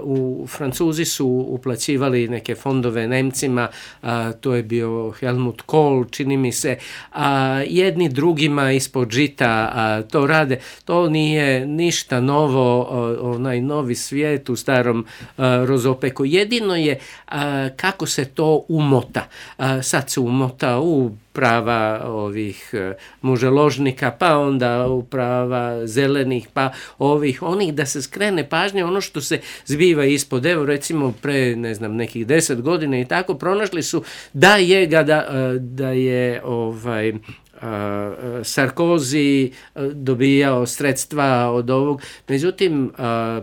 u Francuzi su uplaćivali neke fondove Nemcima, a, to je bio Helmut Kohl, čini mi se, a jedni drugima ispod žita a, to rade. To nije ništa novo, a, onaj novi svijet u starom a, rozopeku. Jedino je a, kako se to umota. A, sad se umota u prava ovih muželožnika, pa onda u prava zelenih, pa ovih, onih, da se skrene pažnje ono što se zbiva ispod. Evo, recimo, pre, ne znam, nekih deset godina i tako, pronašli su da je, da, da je ovaj... Sarkozy dobijao sredstva od ovog, međutim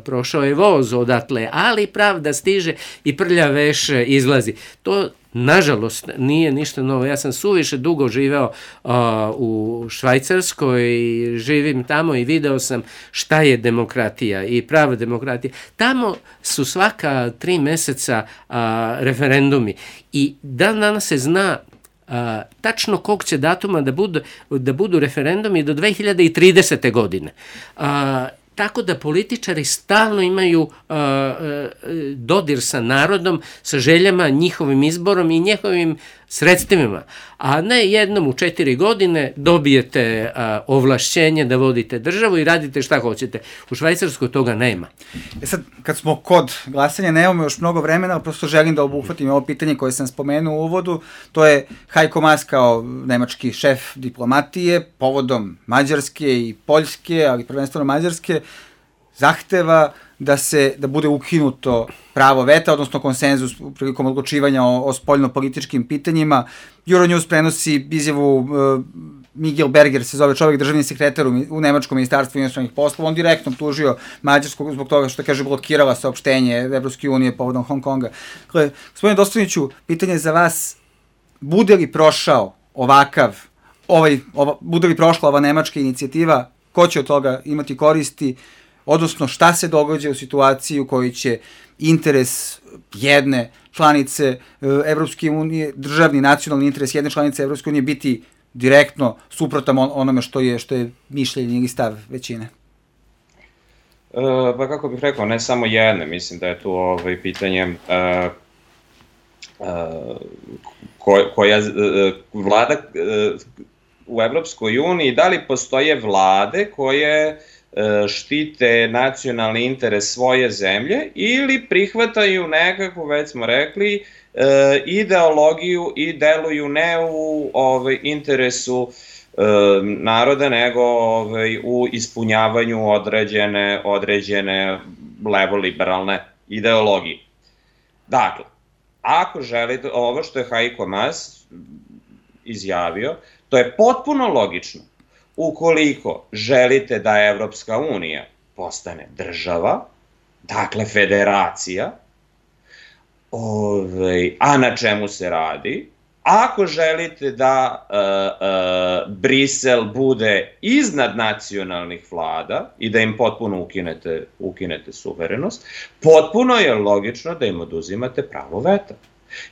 prošao je voz odatle, ali pravda stiže i prlja veš izlazi. To nažalost nije ništa novo. Ja sam suviše dugo živeo uh, u Švajcarskoj i živim tamo i video sam šta je demokratija i prava demokratija. Tamo su svaka tri meseca uh, referendumi i dan danas se zna Uh, tačno kog će datuma da budu, da budu referendumi do dve hiljade tridesete. godine. Uh, tako da političari stalno imaju uh, uh, dodir sa narodom, sa željama, njihovim izborom i njihovim sredstvima, a ne jednom u četiri godine dobijete a, ovlašćenje da vodite državu i radite šta hoćete. U Švajcarskoj toga nema. E sad, kad smo kod glasanja, nemamo još mnogo vremena, ali prosto želim da obuhvatim ovo pitanje koje sam spomenuo u uvodu, to je Heiko Maas kao nemački šef diplomatije, povodom Mađarske i Poljske, ali prvenstveno Mađarske, zahteva da se da bude ukinuto pravo veta, odnosno konsenzus prilikom odlučivanja o, o spoljno-političkim pitanjima. Euronews prenosi izjavu uh, Miguel Berger, se zove čovjek, državni sekretar u, u Nemačkom ministarstvu inostranih poslova. On direktno tužio Mađarsku zbog toga što, kaže, blokirala saopštenje Evropske unije povodom Hong Konga. Dakle, gospodine Dostojniću, pitanje za vas, bude li prošao ovakav, ovaj, ova, bude li prošla ova nemačka inicijativa, ko će od toga imati koristi, odnosno šta se događa u situaciji u kojoj će interes jedne članice Evropske unije, državni nacionalni interes jedne članice Evropske unije biti direktno suprotan onome što je, što je mišljenje ili stav većine? E, pa kako bih rekao, ne samo jedne, mislim da je tu ovaj, pitanje e, e, ko, koja e, vlada e, u Evropskoj uniji, da li postoje vlade koje štite nacionalni interes svoje zemlje ili prihvataju nekako, već smo rekli, ideologiju i deluju ne u ovaj, interesu naroda, nego ovaj, u ispunjavanju određene, određene levo-liberalne ideologije. Dakle, ako želite, ovo što je Heiko Maas izjavio, to je potpuno logično. Ukoliko želite da Evropska unija postane država, dakle federacija, ovaj, a na čemu se radi, ako želite da e, e, Brisel bude iznad nacionalnih vlada i da im potpuno ukinete, ukinete suverenost, potpuno je logično da im oduzimate pravo veta.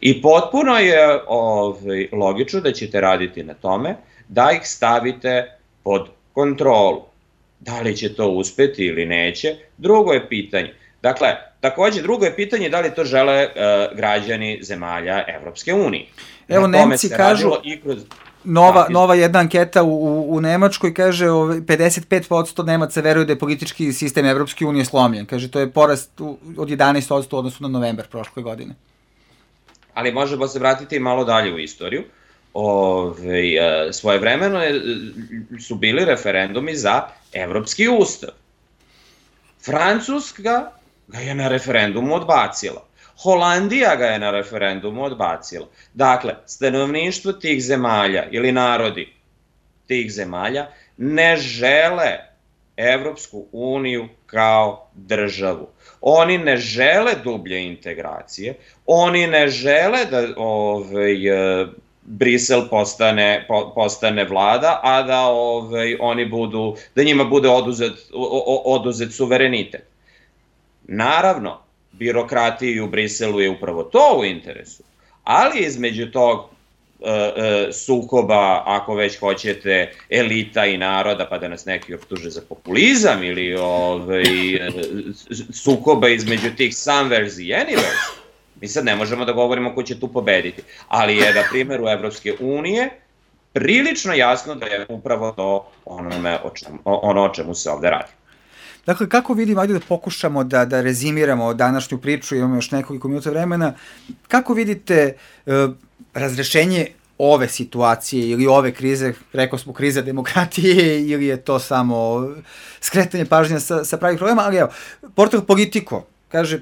I potpuno je ovaj, logično da ćete raditi na tome da ih stavite pod kontrolu. Da li će to uspeti ili neće, drugo je pitanje. Dakle, takođe drugo je pitanje da li to žele uh, građani zemalja Evropske unije. Evo, Nemci kažu, kroz... nova, nova jedna anketa u, u Nemačkoj kaže pedeset pet posto Nemaca veruju da je politički sistem Evropske unije slomljen. Kaže, to je porast od jedanaest posto u odnosu na novembar prošle godine. Ali možemo se vratiti malo dalje u istoriju. Ove, svojevremeno su bili referendumi za Evropski ustav. Francuska ga je na referendumu odbacila. Holandija ga je na referendumu odbacila. Dakle, stanovništvo tih zemalja ili narodi tih zemalja ne žele Evropsku uniju kao državu. Oni ne žele dublje integracije, oni ne žele da ovaj, Brisel postane, po, postane vlada, a da ovaj, oni budu, da njima bude oduzet, oduzet suverenitet. Naravno, birokratiji u Briselu je upravo to u interesu, ali između tog sukoba, ako već hoćete, elita i naroda, pa da nas neki optuže za populizam, ili ovaj, sukoba između tih somewheres i anywheres, mi sad ne možemo da govorimo ko će tu pobediti, ali je na primjeru Evropske unije prilično jasno da je upravo to onome o čemu, ono o čemu se ovde radi. Dakle, kako vidim, ajde da pokušamo da, da rezimiramo današnju priču, imamo još nekoliko minuta vremena, kako vidite uh, razrešenje ove situacije ili ove krize, rekao smo kriza demokratije, ili je to samo skretanje pažnje sa, sa pravih problema, ali evo, portal Politico kaže,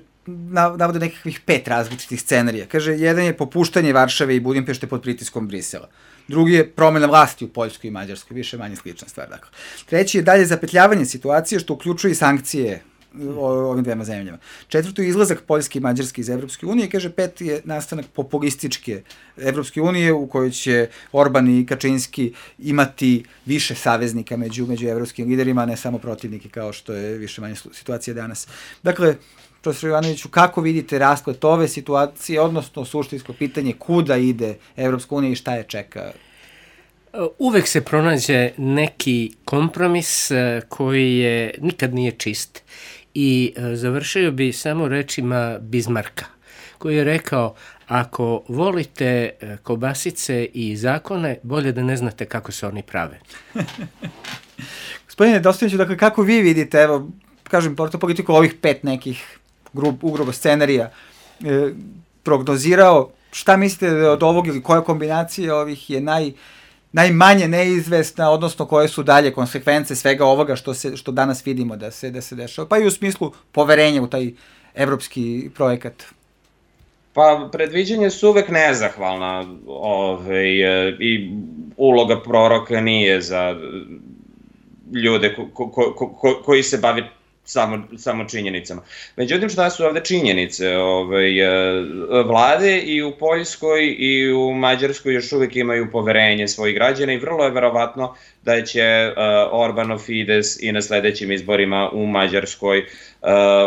navode nekakvih pet različitih scenarija. Kaže, jedan je popuštanje Varšave i Budimpešte pod pritiskom Brisela. Drugi je promena vlasti u Poljskoj i Mađarskoj, više manje slična stvar. Dakle. Treći je dalje zapetljavanje situacije, što uključuje i sankcije ovim dvema zemljama. Četvrto je izlazak Poljske i Mađarske iz Evropske unije. Kaže, peti je nastanak populističke Evropske unije, u kojoj će Orban i Kačinski imati više saveznika među, među evropskim liderima, ne samo protivnike, kao što je više manje situacija danas. Dakle, profesor Jovanoviću, kako vidite rasplet ove situacije, odnosno suštinsko pitanje kuda ide Evropska unija i šta je čeka? Uvek se pronađe neki kompromis koji je, nikad nije čist. I završio bi samo rečima Bismarcka, koji je rekao, ako volite kobasice i zakone, bolje da ne znate kako se oni prave. Gospodine Dostojniću, dakle, kako vi vidite, evo, kažem, portal Politico ovih pet nekih grub, ugrubo scenarija e, prognozirao, šta mislite od ovog ili koja kombinacija ovih je naj, najmanje neizvesna, odnosno koje su dalje konsekvence svega ovoga što, se, što danas vidimo da se, da se dešava, pa i u smislu poverenja u taj evropski projekat? Pa, predviđenje su uvek nezahvalna ovaj, i uloga proroka nije za ljude ko, ko, ko, ko, koji se bavi samo, samo činjenicama. Međutim, šta su ovde činjenice? Ovaj, vlade i u Poljskoj i u Mađarskoj još uvek imaju poverenje svojih građana i vrlo je verovatno da će uh, Orbanov Fides i na sledećim izborima u Mađarskoj uh,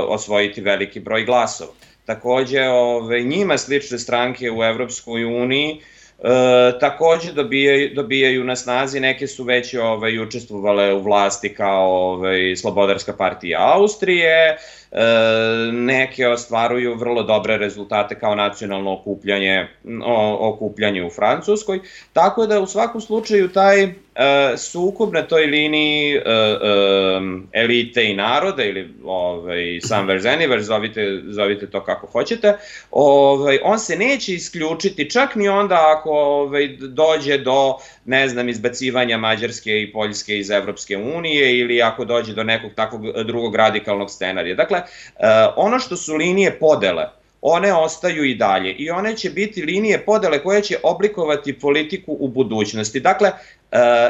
osvojiti veliki broj glasova. Takođe, ove, njima slične stranke u Evropskoj uniji e, takođe dobijaju, dobijaju na snazi, neke su već ove, učestvovale u vlasti kao ove, Slobodarska partija Austrije, e, neke ostvaruju vrlo dobre rezultate kao nacionalno okupljanje, o, okupljanje u Francuskoj, tako da u svakom slučaju taj e, sukob na toj liniji e, e, elite i naroda ili ovaj, somewheres anywhere, zovite, zovite to kako hoćete, ovaj, on se neće isključiti čak ni onda ako ovaj, dođe do, ne znam, izbacivanja Mađarske i Poljske iz Evropske unije ili ako dođe do nekog takvog drugog radikalnog scenarija. Dakle, ono što su linije podele, one ostaju i dalje i one će biti linije podele koje će oblikovati politiku u budućnosti. Dakle,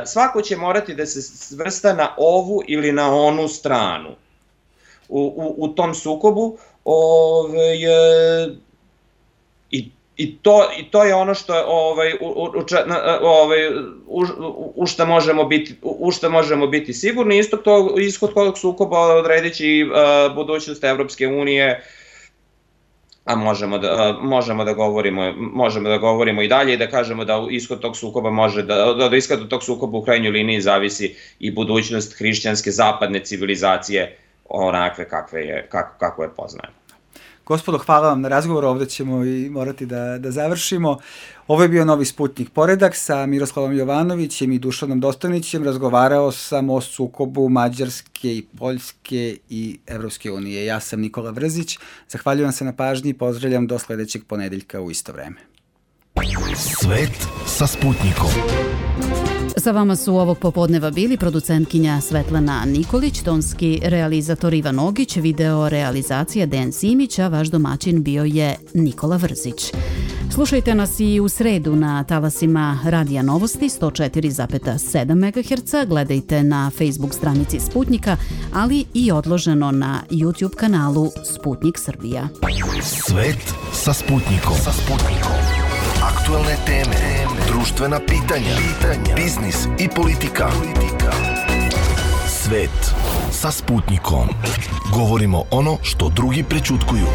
svako će morati da se svrsta na ovu ili na onu stranu u, u, u tom sukobu ovaj, i, i, to, i to je ono što ovaj, u, u, ovaj, u, u, šta možemo biti, u šta možemo biti sigurni. Isto to, ishod tog sukoba odredići uh, budućnost Evropske unije, a možemo da, možemo da govorimo, možemo da govorimo i dalje i da kažemo da ishod tog sukoba može da, da ishod tog sukoba u krajnjoj liniji zavisi i budućnost hrišćanske zapadne civilizacije onakve kakve je, kako, kako je poznajemo. Gospodo, hvala vam na razgovoru, ovde ćemo i morati da, da završimo. Ovo je bio Novi Sputnik Poredak sa Miroslavom Jovanovićem i Dušanom Dostojnićem. Razgovarao sam o sukobu Mađarske i Poljske i Evropske unije. Ja sam Nikola Vrzić. Zahvaljujem se na pažnji i pozdravljam do sledećeg ponedeljka u isto vreme. Svet sa Sputnikom. Sa vama su ovog popodneva bili producentkinja Svetlana Nikolić, tonski realizator Ivan Ogić, video realizacija Dejan Simić, a vaš domaćin bio je Nikola Vrzić. Slušajte nas i u sredu na talasima Radija Novosti sto četiri zarez sedam megaherca, gledajte na Facebook stranici Sputnika, ali i odloženo na YouTube kanalu Sputnik Srbija. Svet sa Sputnikom. Sa Sputnikom. Aktuelne teme, društvena pitanja, biznis i politika. Svet sa Sputnikom. Govorimo ono što drugi prećutkuju.